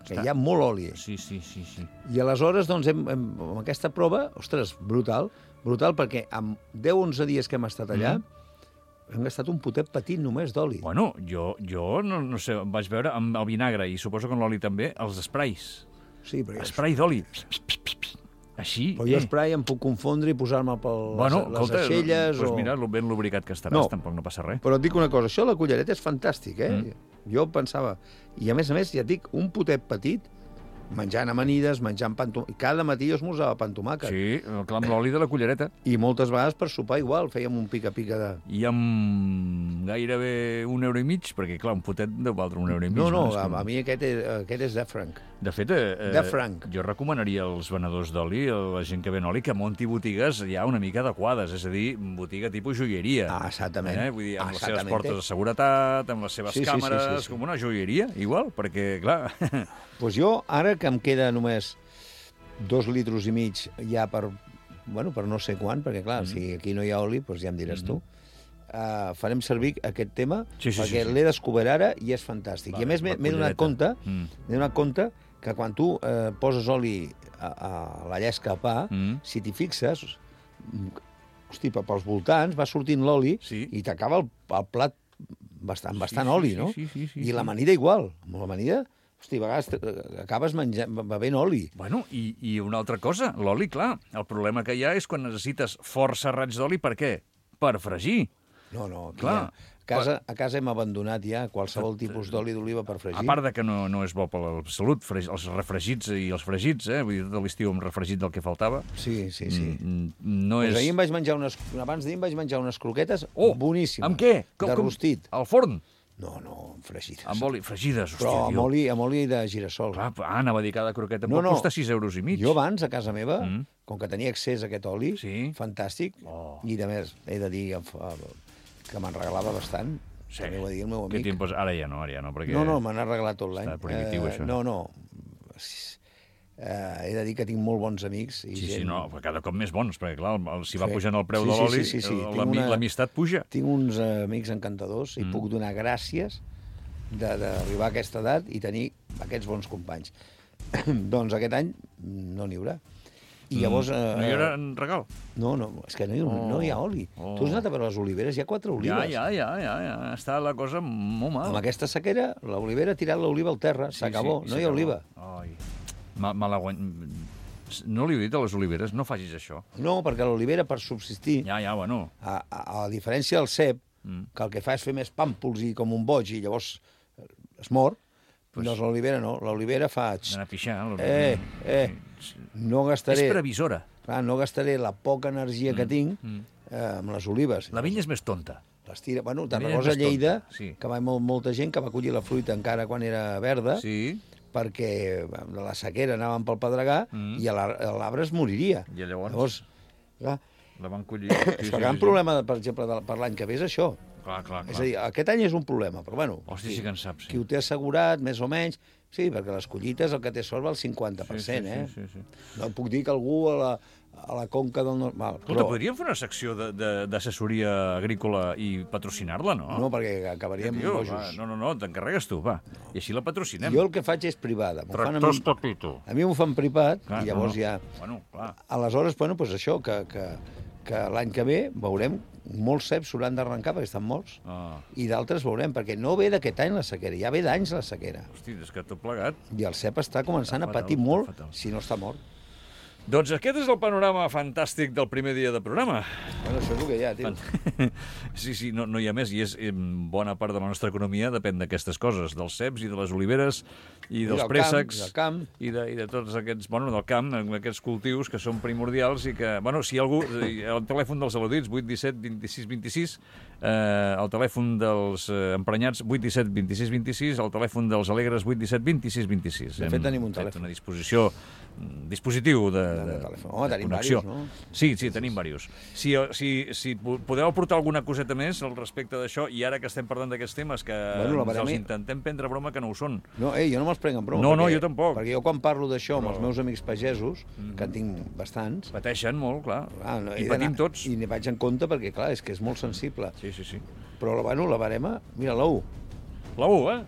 que està. hi ha molt oli. Sí, sí, sí. sí. I aleshores, doncs, hem, hem, amb aquesta prova, ostres, brutal, brutal, perquè amb deu o onze dies que hem estat allà, mm. hem gastat un potet petit només d'oli. Bueno, jo, jo no, no sé, em vaig veure amb el vinagre, i suposo que amb l'oli també, els sprays. Sí, però... Spray d'oli. Així, però jo eh. spray em puc confondre i posar-me per bueno, les, les aixelles... Doncs o... mira, ben lubricat que estaràs, no, tampoc no passa res. Però et dic una cosa, això de la cullereta és fantàstic, eh? Mm. Jo pensava... I a més a més, ja et dic, un potet petit menjant amanides, menjant pan tomàquet. Cada matí jo esmorzava pan tomàquet. Sí, clar, amb l'oli de la cullereta. I moltes vegades per sopar igual, fèiem un pica-pica de... I amb gairebé un euro i mig, perquè clar, un potet deu valdre un euro i mig. No, no, És a, com- a mi aquest és, aquest és de franc. De fet, eh, De franc. jo recomanaria als venedors d'oli, a la gent que ven oli, que munti botigues ja una mica adequades, és a dir, botiga tipus joieria. Ah, exactament. Eh? Vull dir, amb les seves Exactamente. portes de seguretat, amb les seves Sí, sí, sí, càmeres, sí, sí. com una joieria, igual, perquè, clar... Pues jo, ara que em queda només dos litros i mig ja per, bueno, per no sé quan, perquè clar, mm. si aquí no hi ha oli, doncs ja em diràs mm -hmm. tu, uh, farem servir aquest tema, Sí, sí, perquè sí, sí. l'he descobert ara i és fantàstic. Vale, I a més m'he la m'he donat cullereta. compte, Mm. m'he donat compte que quan tu eh, poses oli a, a la llesca a pa, Mm. si t'hi fixes, mm, hosti, pe- pels voltants va sortint l'oli Sí. i t'acaba el, el plat bastant, Sí, bastant sí, oli, sí, no? sí, sí, sí, I sí. l'amanida igual. Amb l'amanida, hosti, a vegades eh, acabes menjant, bevent oli. Bueno, i, i una altra cosa, l'oli, clar, el problema que hi ha és quan necessites força raigs d'oli, per què? Per fregir. No, no, aquí Clar. ja, a, casa, a casa hem abandonat ja qualsevol tipus d'oli d'oliva per fregir. A part de que no, no és bo per la salut, fre- els refregits i els fregits, eh? Vull dir, tot l'estiu amb refregit del que faltava. Sí, sí, sí. Mm, no Pues és... ahir em vaig menjar unes... Abans d'ahir em vaig menjar unes croquetes Oh, boníssimes. amb què? De rostit. Al forn? No, no, fregides. Amb oli, fregides, hòstia, Però amb tio. oli, amb oli de girassol. Clar, ah, anava a dir cada croqueta No, pot no. costar sis euros i mig. Jo abans, a casa meva, Mm. mm. com que tenia accés a aquest oli, Sí. fantàstic, Oh. i a més, he de dir que me'n regalava bastant, Sí. també ho ha dit el meu Què amic. tiempos? Ara ja no, ara ja no, perquè... No, no, me n'ha regalat tot l'any. Està prohibitiu, això. No, no. Eh, he de dir que tinc molt bons amics. I Sí, gent... sí, no, però cada cop més bons, perquè clar, el, el, si va Sí. pujant el preu Sí, de sí, l'oli, sí, sí, sí. el- Tinc l'ami- una- l'amistat puja. Tinc uns eh, amics encantadors i Mm. puc donar gràcies de- d'arribar a aquesta edat i tenir aquests bons companys. Doncs aquest any no n'hi haurà. I llavors... Eh, No hi haurà en regal? No, no, és que no hi, Oh. no hi ha oli. Oh. Tu has anat a veure les oliveres? Hi ha quatre Ja, olives. ja, ja, ja, ja, està la cosa molt mal. Amb aquesta sequera, l'olivera ha tirat l'oliva al terra, Sí, s'acabó, sí, no hi ha s'acabó. oliva. Ai, me, me la guany... No li he dit a les oliveres, no facis això. No, perquè l'olivera, per subsistir, Ja, ja, bueno. a, a, a diferència del cep, Mm. que el que fa és fer més pàmpols i com un boig i llavors eh, es mor, Pues- doncs l'olivera no. L'olivera fa... D'anar a pixar. Eh, eh, no gastaré... És previsora. Clar, no gastaré la poca energia que tinc mm. eh, amb les olives. La vinya és més tonta. Les tira... Bueno, La te'n vinya és recordes a més Lleida, tonta, sí. que va molt, molta gent que va collir la fruita encara quan era verda, Sí. perquè de la sequera anaven pel pedregar Mm. i a la- a l'arbre es moriria. I llavors? Llavors clar, La van collir. és que el gran problema, per exemple, de, per l'any que ve és això. Clar, clar, clar. És a dir, aquest any és un problema, però bueno... Hòstia, sí que en saps, sí. Qui ho té assegurat, més o menys... Sí, perquè les collites el que té sort va al cinquanta per cent, sí, sí, eh? sí, sí, sí. No puc dir que algú a la, a la conca del nord... Val, Escolta, però, podríem fer una secció de- de- d'assessoria agrícola i patrocinar-la, no? no, perquè acabaríem Tio, bojos. va, no, no, no, t'encarregues tu, va. I així la patrocinem. Jo el que faig és privada. M'ho fan a mi, Tractors Pepito. a mi m'ho fan privat Clar, i llavors no, no. ja... Bueno, clar. Aleshores, bueno, doncs això, que, que, que l'any que ve veurem molts ceps s'hauran d'arrencar perquè estan morts Ah, i d'altres veurem, perquè no ve d'aquest any la sequera, ja ve d'anys la sequera. hosti, és que tot plegat. I el cep està començant Està a patir fatal, molt està fatal. si no està mort. Doncs aquest és el panorama fantàstic del primer dia de programa. Bueno, això és el que hi ha, tio. Sí, sí, no, no hi ha més, i és em, bona part de la nostra economia depèn d'aquestes coses, dels ceps i de les oliveres i dels del camp, préssecs del camp. i de, i de tots aquests, bueno, del camp, amb aquests cultius que són primordials i que, bueno, si hi ha algú, eh, el telèfon dels al·ludits, vuit disset vint-i-sis vint-i-sis, eh, el telèfon dels eh, emprenyats, vuit disset vint-i-sis vint-i-sis, el telèfon dels alegres, vuit disset vint-i-sis vint-i-sis. De fet, tenim un fet telèfon. una disposició, un dispositiu de, De- de de, telèfon. Home, de tenim connexió. diversos, no? Sí, sí, tenim diversos. Si, si, si po- podeu aportar alguna coseta més al respecte d'això, i ara que estem parlant d'aquests temes, que Bueno, la ens els baremi- intentem prendre broma que no ho són. No, ei, jo no me'ls prenc en broma. No, no, perquè- jo tampoc. Perquè jo quan parlo d'això amb Però- els meus amics pagesos, que en tinc bastants, Pateixen molt, clar. ah, no, I he patim d'anar- tots. I n'hi vaig en compte perquè, clar, és que és molt sensible. Sí, sí, sí. Però, bueno, la barema, mira, l'U. La U, eh?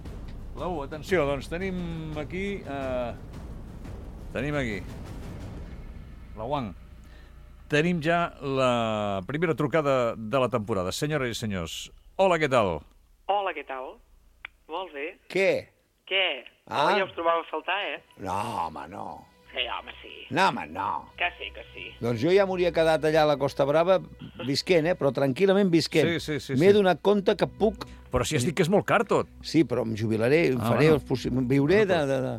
La U, atenció, doncs tenim aquí... Eh, tenim aquí... La Wang. Tenim ja la primera trucada de la temporada. Senyores i senyors, hola, què tal? Hola, què tal? Molt bé. Què? Què? Ah. Oh, ja us trobava a faltar, eh? No, home, no. Sí, home, sí. No, home, no. Que sí, que sí. Doncs jo ja m'hauria quedat allà a la Costa Brava visquent, eh? Però tranquil·lament visquent. Sí, sí, sí, M'he sí. donat compte que puc... Però si has dit que és molt car tot. Sí, però em jubilaré, em Ah, faré bueno. els possi... viuré de, de, de,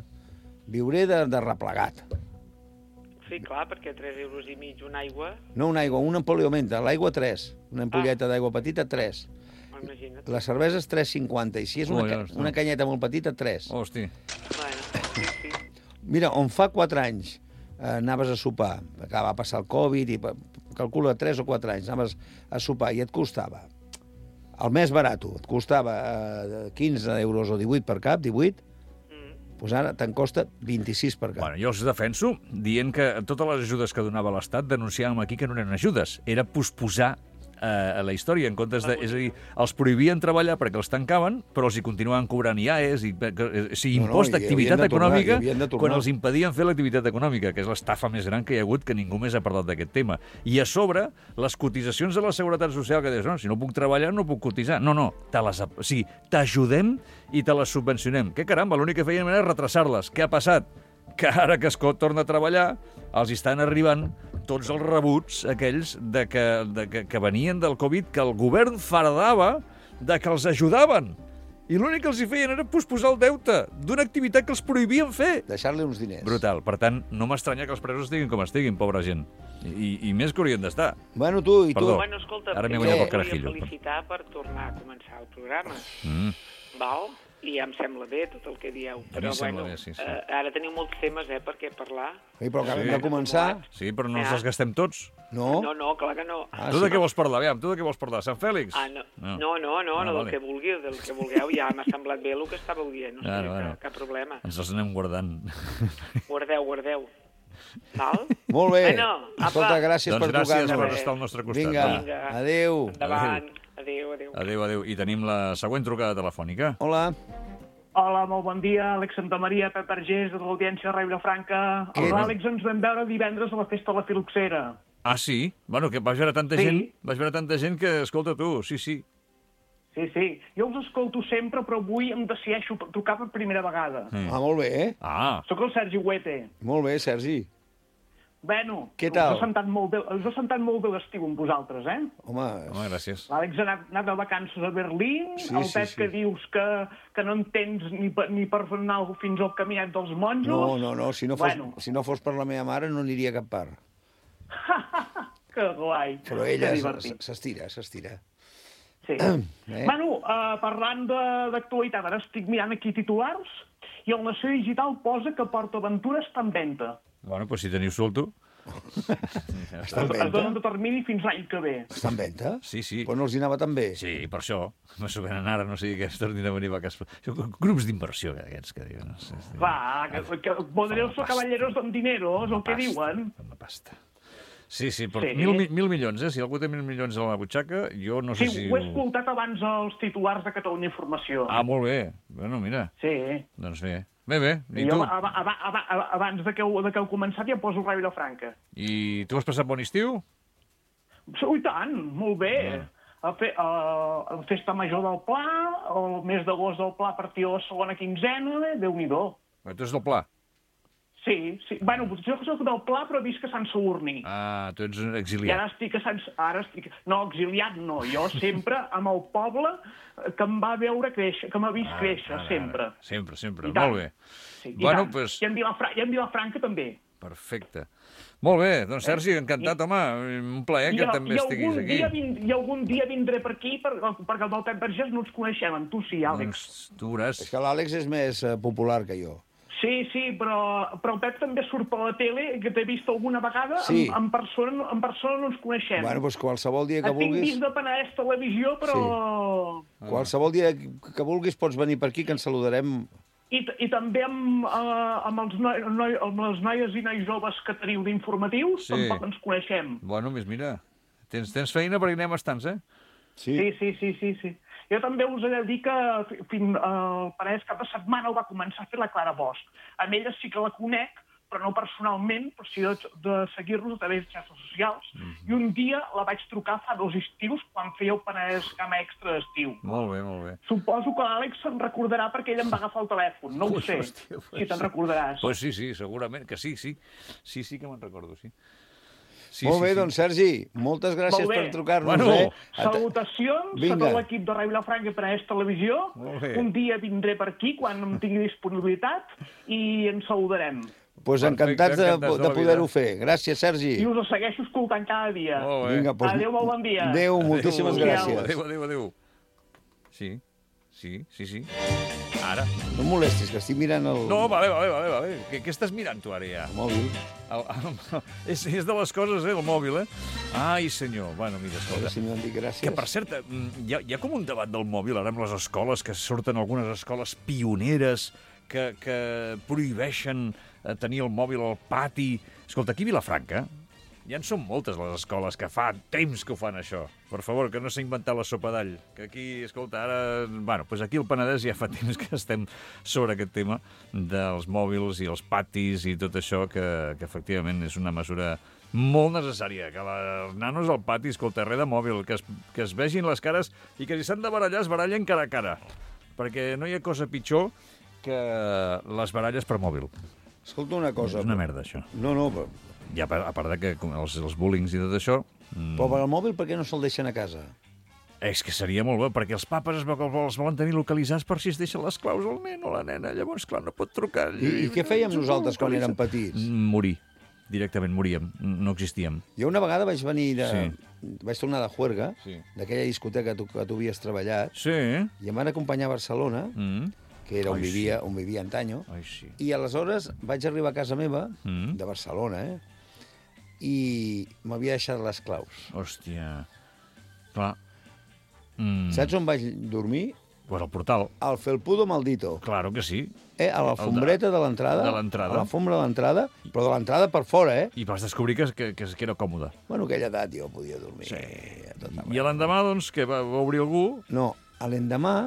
Viuré de, de replegat. Sí, clar, perquè tres euros i mig una aigua, No una aigua, una ampolla augmenta. L'aigua, tres. Una ampolleta d'aigua petita, tres. imagina't. La cervesa és tres cinquanta. I si és una, Oh, ja ca està. una canyeta molt petita, tres. Hosti. Bueno, sí, sí. Mira, on fa quatre anys eh, anaves a sopar, que va passar el Covid, i pa- calcula tres o quatre anys, anaves a sopar i et costava, el més barat, et costava eh, quinze euros o divuit per cap, divuit, doncs ara te'n costa vint-i-sis per cap. Bueno, jo els defenso dient que totes les ajudes que donava l'Estat denunciàvem aquí que no eren ajudes, era posposar eh, la història, en comptes de... És a dir, els prohibien treballar perquè els tancaven, però els hi continuaven cobrant I A E S, i, o sigui, No, no, impost i d'activitat havien de tornar, econòmica, i havien de tornar. quan els impedien fer l'activitat econòmica, que és l'estafa més gran que hi ha hagut, que ningú més ha parlat d'aquest tema. I a sobre, les cotitzacions de la Seguretat Social, que dius, no, si no puc treballar, no puc cotitzar. No, no, te les, o sigui, t'ajudem i te les subvencionem. Què caramba, l'únic que feien era retrasar-les. Què ha passat? Que ara que es co- torna a treballar, els hi estan arribant tots els rebuts aquells de que, de que, que venien del Covid, que el govern fardava de que els ajudaven. I l'únic que els hi feien era posposar el deute d'una activitat que els prohibien fer. Deixar-li uns diners. Brutal. Per tant, no m'estranya que els presos estiguin com estiguin, pobra gent. I, i més que haurien d'estar. Bueno, tu, i tu... Perdó. Bueno, escolta, Ara m'he jo guanyat el volia carajillo. felicitar per tornar a començar el programa, Mm. val? I ja em sembla bé tot el que dieu, A mi però em sembla bueno, bé, sí, sí. eh, ara teniu molts temes, eh, per què parlar. Ei, però acabem Sí. de començar. Sí, però no ens Ja. els gastem tots. No? No, no, clar que no. Ah, tu sí. de què vols parlar? Aviam, tu de què vols parlar? Sant Fèlix? Ah, no, No. no, no, no, Ah, no del vale. que vulgueu, del que vulgueu, ja m'ha semblat bé el que estàveu dient, no sé, Bueno, bueno. cap, cap problema. Ens els anem guardant. Guardeu, guardeu. Val? Molt bé. Bueno, apa. Escolta, gràcies Doncs per gràcies trucar-nos. per estar al nostre costat. Vinga, Va. Vinga. adéu. Endavant. Adéu, adéu. Adéu, adéu. I tenim la següent trucada telefònica. Hola. Hola, molt bon dia. Àlex Santamaria, Pep Argés, de l'Audiència de Vilafranca. Què? El Àlex ens vam veure divendres a la festa de la Filoxera. Ah, sí? Bueno, que vaig veure tanta Sí. gent, vaig veure tanta gent que, escolta tu, sí, sí. Sí, sí. Jo us escolto sempre, però avui em decideixo trucar per primera vegada. Mm. Ah, molt bé, eh? Ah, Soc el Sergi Huete. Molt bé, Sergi. Bueno, Què tal? us he sentat molt bé, us he sentat molt bé l'estiu amb vosaltres, eh? Home, home, gràcies. L'Àlex ha anat, anat de vacances a Berlín, Sí, el sí, Pep sí. que dius que, que no entens ni per, ni per anar fins al caminet dels monjos. no, no, no. Si no, fos, Bueno. si no fos per la meva mare no aniria a cap part. Que guai. Però Que ella divertit. s- s'estira, s'estira. Sí. Eh? Bueno, uh, parlant de- d'actualitat, ara estic mirant aquí titulars i el Nació Digital posa que PortAventura està en venda. Bueno, doncs si teniu solto... Està en Es, es donen venda? de termini fins l'any que ve. Està en venda? Sí, sí. Però no els hi anava tan bé. Sí, per això. M'ho venen ara, no sigui que es tornin a venir a casa. Grups d'inversió, aquests que diuen. No sé, Va, que, que poderosos caballeros don dinero, és el que pasta, diuen. Amb la pasta. Sí, sí, però Sí. Mil, mi- mil milions, eh? Si algú té mil milions a la butxaca, jo no sé Sí, si... ho he escoltat abans als titulars de Catalunya Informació. Ah, molt bé. Bueno, mira. Sí. Doncs bé. Bé, bé. I I tu? jo, ab ab ab abans de que, heu, de que heu començat ja poso Ràdio Vilafranca. I tu has passat bon estiu? Sí, i tant, molt bé. A fe, a, a Festa Major del Pla, el mes d'agost del Pla a partir de la segona quinzena, Déu-n'hi-do. Tu ets del Pla? Sí, sí. Bueno, jo soc del Pla, però visc a Sant Sadurní. Ah, tu ets un I exiliat. ara estic a Sant... Ara estic... No, exiliat no. Jo sempre amb el poble que em va veure créixer, que m'ha vist Ah, créixer, ara, sempre. ara. Sempre, sempre. I tant. Molt bé. Sí, i Bueno, tant. pues- I en Vilafra... I en Vilafranca també. Perfecte. Molt bé, doncs Sergi, encantat, home. Un plaer que I, també i estiguis algun aquí. dia vind, I algun dia vindré per aquí, per, perquè amb el Pep Vergés no ens coneixem, amb tu sí, Àlex. Doncs tu veuràs. És que l'Àlex és més eh, popular que jo. Sí, sí, però, però el Pep també surt per la tele, que t'he vist alguna vegada, Sí. en, en, persona, no- en persona no ens coneixem. Bueno, doncs qualsevol dia que Et tinc vulguis... vist de Penedès Televisió, però... Qualsevol dia que vulguis pots venir per aquí, que ens saludarem. I, I també amb, uh, amb, els noi, noi, amb les noies i nois joves que teniu d'informatius, Sí. tampoc ens coneixem. Bueno, més mira, tens, tens feina perquè anem bastants, eh? Sí. Sí, sí, sí, sí, sí. Jo també us he de dir que fi- fin, uh, el Penedès cap de setmana ho va començar a fer la Clara Bosch. Amb ella sí que la conec, però no personalment, però sí de, de seguir-los a través de xarxes socials. Mhm. I un dia la vaig trucar fa dos estius, quan feia el Penedès Gamma Extra d'estiu. Molt bé, molt bé. Suposo que l'Àlex se'n recordarà perquè ell em va agafar el telèfon. No ho Ui, sé, hòstia, si te'n recordaràs. Pues sí, sí, segurament que sí, sí. Sí, sí que me'n recordo, sí. Sí, Molt sí, bé, sí. doncs, Sergi, moltes gràcies Molt bé. per trucar-nos. Bueno. Eh? Salutacions a Vinga. tot l'equip de Ràdio Vilafranca per a Televisió. Molt bé. Un dia vindré per aquí, quan em tingui disponibilitat, i ens saludarem. Pues Perfecte, encantats de, encantats de de la poder-ho vida. fer. Gràcies, Sergi. I us segueixo escoltant cada dia. Molt bé. Vinga, pues, Adéu, molt bon dia. Adéu, moltíssimes Adéu. gràcies. Adéu, adéu, adéu. Sí, sí, sí, sí. Ara. No em molestis, que estic mirant el, No, vale, vale, vale. vale. Què, què estàs mirant tu ara ja? el mòbil. El, el, és, és de les coses, eh, el mòbil, eh? Ai, senyor. Bueno, mira, A escolta. veure si m'han dit gràcies. Que, per cert, mm, hi ha, hi ha com un debat del mòbil ara amb les escoles, que surten algunes escoles pioneres que, que prohibeixen eh, tenir el mòbil al pati. Escolta, aquí a Vilafranca ja en són moltes les escoles que fa temps que ho fan, això. Per favor, que no s'ha inventat la sopa d'all. Que aquí, escolta, ara... Bueno, doncs aquí al Penedès ja fa temps que estem sobre aquest tema dels mòbils i els patis i tot això, que, que efectivament és una mesura molt necessària, que la- els nanos al pati, escolta, res de mòbil, que es, que es vegin les cares i que si s'han de barallar, es barallen cara a cara. Perquè no hi ha cosa pitjor que les baralles per mòbil. Escolta una cosa. És una merda, això. No, no, però, I a part, a part de que com els, els bullings i tot això... mm, però per al mòbil per què no se'l deixen a casa? És que seria molt bé, perquè els papes es, vo- els volen tenir localitzats per si es deixen les claus al nen o la nena. Llavors, clar, no pot trucar. I, i què fèiem nosaltres quan érem petits? Mm, Morir. Directament moríem. No existíem. Jo una vegada vaig venir de... Sí. Vaig tornar de Juerga, Sí. d'aquella discoteca que tu, que tu havies treballat, Sí. i em van acompanyar a Barcelona, Mm. que era on Ai, vivia, on vivia antanyo, Ai, sí. i aleshores vaig arribar a casa meva, Mm. de Barcelona, eh? i m'havia deixat les claus. Hòstia. Clar. Mm. Saps on vaig dormir? Pues al portal. Al Felpudo Maldito. Claro que sí. Eh, a l'alfombreta de l'entrada. De l'entrada. A l'alfombra de l'entrada, però de l'entrada per fora, eh? I vas descobrir que, que, que, que era còmode. Bueno, aquella edat jo podia dormir. Sí. a tot arreu. I a l'endemà, doncs, que va, va obrir algú... No, a l'endemà...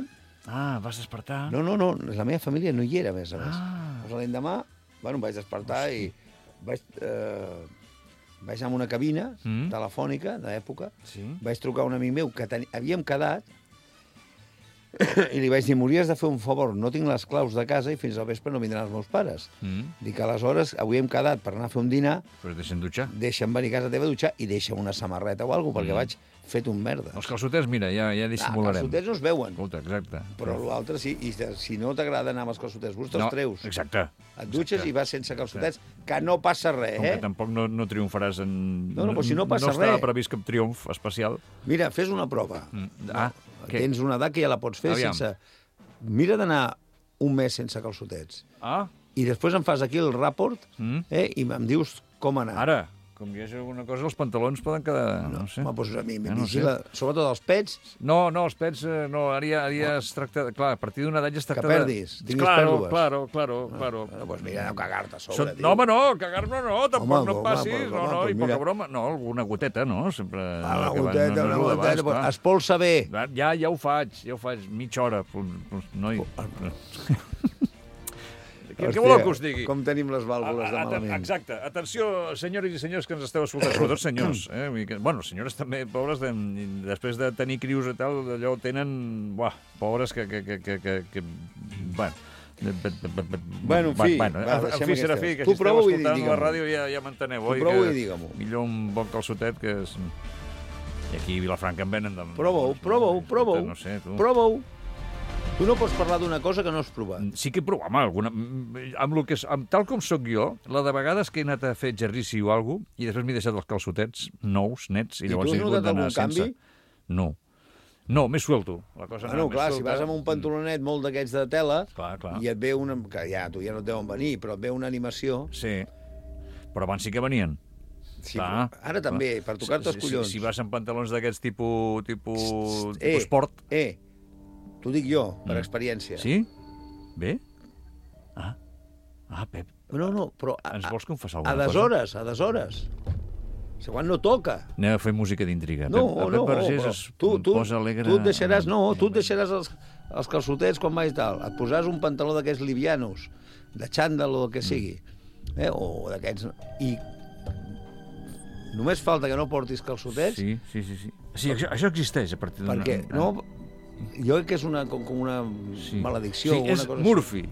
Ah, vas despertar... No, no, no, la meva família no hi era, a més a més. Ah. Doncs l'endemà, bueno, em vaig despertar i vaig, eh, vaig anar a una cabina Mm. telefònica d'època, Sí. vaig trucar a un amic meu que ten... havíem quedat i li vaig dir, m'hauries de fer un favor, no tinc les claus de casa i fins al vespre no vindran els meus pares. Mm. Dic, aleshores, avui hem quedat per anar a fer un dinar, Però es deixen dutxar. deixa'm venir a casa teva a dutxar i deixa'm una samarreta o alguna cosa, perquè Mm. vaig fet un merda. Els calçotets, mira, ja, ja Ah, dissimularem. calçotets no es veuen, Escolta, exacte. però l'altre sí, i si no t'agrada anar amb els calçotets, busca els no, treus. Exacte. Et dutxes Exacte. i vas sense calçotets, que no passa res, Com eh? que tampoc no, no triomfaràs en... No, no, però si no passa no estava res. previst cap triomf especial. Mira, fes una prova. Mm. Ah, què? Tens una edat que ja la pots fer Aviam. sense... Mira d'anar un mes sense calçotets. Ah, I després em fas aquí el rapport Mm. eh, i em dius com anar. ara, com hi hagi alguna cosa, els pantalons poden quedar... No, no sé. Home, doncs a mi, Ja no vigila, sobretot els pets, No, no, els pets, eh, no, ara ja, ara ja es tracta... De, clar, a partir d'una edat ja es tracta perdis, de... tinguis claro, pèrdues. claro, claro, claro. bueno, doncs mira, no cagar-te a sobre, Són... tio. No, home, no, cagar-me no, tampoc Home, no em home, passis. però, no, home, no, i doncs poca mira. broma. No, alguna goteta, no? Sempre... Ah, una que va- goteta, no, una no és goteta, el d'abast, pues, clar. espolsa bé. Ja, ja ho faig, ja ho faig, mitja hora. Pues, pues, noi. Què, què voleu que us digui? Com tenim les vàlvules de A- a- malament. Exacte. Atenció, senyores i senyors que ens esteu escoltant, sobretot senyors. Eh? Vull dir que- Bueno, senyores també, pobres, de, després de tenir crios i tal, allò tenen... Buah, pobres que... que, que, que, que, que bueno, Bueno, en fi, bueno, va, en deixem fi, serà aquestes. fi, que Tu si esteu prova-ho i escoltant digue-m'ho. la ràdio ja, ja m'enteneu, Tu oi? prova-ho Que i digue-m'ho. Millor un bon calçotet que és... I aquí a Vilafranca en venen... De... Prova-ho, prova-ho, prova-ho. No sé, tu. Prova-ho. Tu no pots parlar d'una cosa que no has provat. Sí que he provat, home, alguna... Amb, lo que, és- amb tal com sóc jo, la de vegades que he anat a fer exercici o alguna cosa, i després m'he deixat els calçotets nous, nets, i, I llavors tu has he hagut notat d'anar algun canvi? sense. No. No, més suelto. La cosa Bueno, anava clar, més si suelta. vas amb un pantalonet molt d'aquests de tela Clar, clar. i et ve una... que ja, tu ja no et deuen venir, però et ve una animació... Sí, però abans sí que venien. Sí, Clar, però ara també, clar. per tocar-te els Si- si- collons. Si, si vas amb pantalons d'aquests tipus, tipus, Eh, tipus esport... Eh, t'ho dic jo, per Mm. experiència. Sí? Bé? Ah, ah Pep, No, no, però... A, ens vols confessar a alguna cosa? deshores, a deshores. O sigui, quan no toca. Anem a fer música d'intriga. No, Pep, no, Pep Vergés però es tu, tu, posa alegre... tu et deixaràs, no, tu et deixaràs els, els calçotets quan vais tal. Et posaràs un pantaló d'aquests livianos, de xandall o el que sigui, eh? o d'aquests... I només falta que no portis calçotets, Sí, sí, sí. sí. sí això, això existeix a partir d'una... perquè no, jo crec que és una, com, com una Sí. maledicció. Sí, o una és cosa Murphy.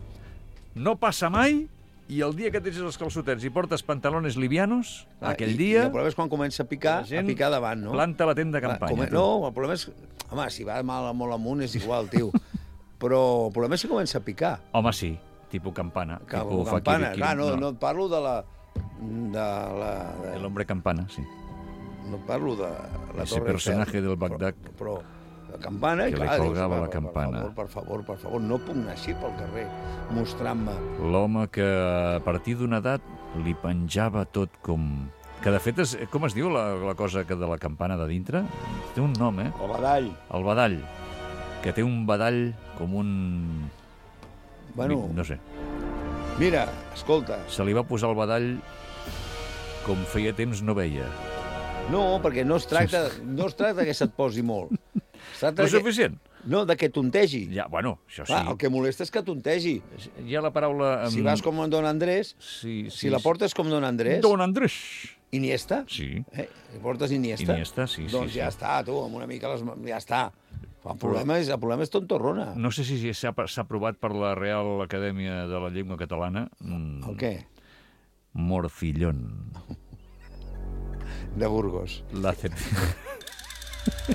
No passa mai I el dia que tens els calçotets i portes pantalones livianos, Ah, aquell i, dia... I el problema és quan comença a picar, la gent a picar davant, no? planta la tenda de campanya. Come... tu. No, el problema és... Home, si va mal, molt amunt és igual, tio. Però el problema és si comença a picar. Home, sí, tipus campana. Que, tipus campana, Fakir, clar, no, no et parlo de la... De la de... El hombre campana, sí. No et parlo de la Ese Torre personaje Eiffel, del Bagdad. Però, però la campana, Que li clar, colgava dius, la campana. Per favor, per favor, per favor, no puc anar així pel carrer mostrant-me. L'home que a partir d'una edat li penjava tot com... Que de fet, és, com es diu la, la cosa que de la campana de dintre? Té un nom, eh? El badall. El badall. Que té un badall com un... Bueno, No sé. mira, escolta. Se li va posar el badall com feia temps no veia. No, perquè no es tracta, no es tracta que se't posi molt. Es tracta No de és que- suficient? No, de que tontegi. Ja, bueno, això sí. Clar, el que molesta és que tontegi. Hi ha la paraula... Si vas com en Don Andrés, sí, sí, si la portes com Don Andrés... Don Andrés. Iniesta? Sí. Eh? Si portes Iniesta? Iniesta, sí, sí, Doncs sí. ja està, tu, amb una mica les... ja està. El problema és, el problema és tontorrona. No sé si s'ha s'ha aprovat per la Real Acadèmia de la Llengua Catalana. Mm, El què? Morcillón. De Burgos. La cet...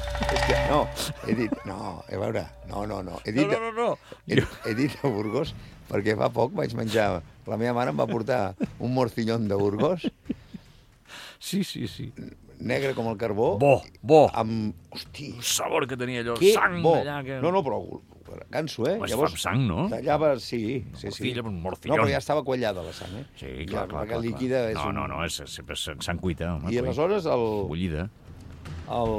És que, no, he dit... No, a veure, no, no, no. He dit, No, no, no, no. He, he dit a Burgos perquè fa poc vaig menjar... La meva mare em va portar un morcillón de Burgos. Sí, sí, sí. Negre com el carbó. Bo, bo. Amb... Hosti. El sabor que tenia allò, Que sang bo. allà. Que... No, no, però ganso, eh? Home, es fa amb sang, no? Tallava, sí, sí, sí. Morcilla, un No, morcillón. però ja estava quallada la sang, eh? Sí, Ja, clar, clar, perquè clar. líquida clar. és No, un- no, no, és, és, és sang cuita. Home, I aleshores el... Bullida. el...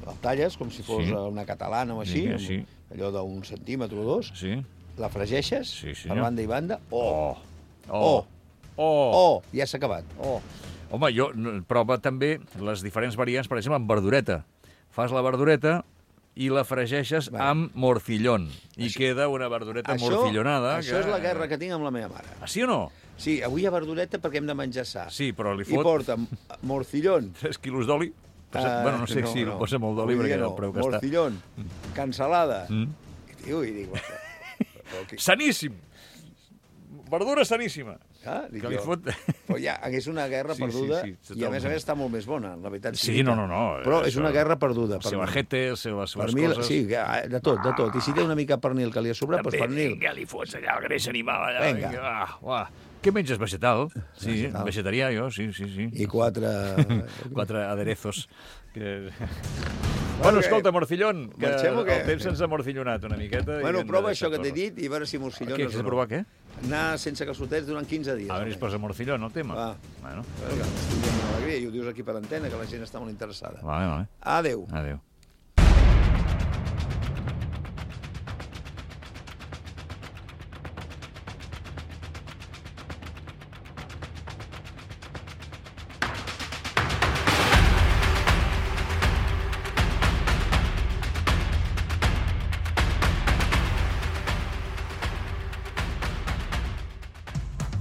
el talles com si fos Sí. una catalana o així, Sí, sí. amb allò d'un centímetre o dos, Sí. la fregeixes Sí, per senyor. banda i banda, oh, Oh. oh, Oh. oh, ja s'ha acabat. Oh. Home, jo no, prova també les diferents variants, per exemple, amb verdureta. Fas la verdureta i la fregeixes Va. amb morcillón. I queda una verdureta Això, morcillonada. això és la guerra que tinc amb la meva mare. Ah, sí o no? Sí, avui hi ha verdureta perquè hem de menjar sa. Sí, però li I fot porta morcillón. tres quilos d'oli. Posa, Ah, bueno, no sé si no, posa molt d'oli avui perquè dia el preu que està. Morcillón, cansalada. Mm. I, tio, i dic... Però, que... Saníssim! Verdura saníssima. Ah, dic Que li jo. fot... Però ja hagués una guerra Sí, perduda sí, sí, i a més a totalment. més està molt més bona, la veritat. Sí, sigui no, dit. no, no. Però és això- una guerra perduda. El seu ajete, les seves Per mi, coses... sí, de tot, de tot. I si té una mica pernil que li ha sobrat, doncs pernil. Vinga, li fots allà el greix animal. Allà, Vinga. vinga, va, va. Què menges, vegetal? Sí, Vegetal. vegetarià, jo, sí, sí, sí. I quatre... Quatre aderezos. Que... Bueno, escolta, Morcillón, que Marxem o què? el temps se'ns ha morcillonat una miqueta. i Bueno, hem de prova deixar això que t'he córrer. dit i a veure si morcillón Què, és has o de no. provar què? Anar sense calçotets durant quinze dies. A veure si es posa morcillón, el tema. Va. Bueno, Vinga, estic dient una alegria i ho dius aquí per antena, que la gent està molt interessada. vale, vale. Adéu. Adéu.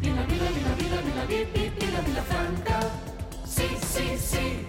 Vila, Vila, Vila, Vila, Vila, Vila, Vila, Vila Franca. Sí, sí, sí.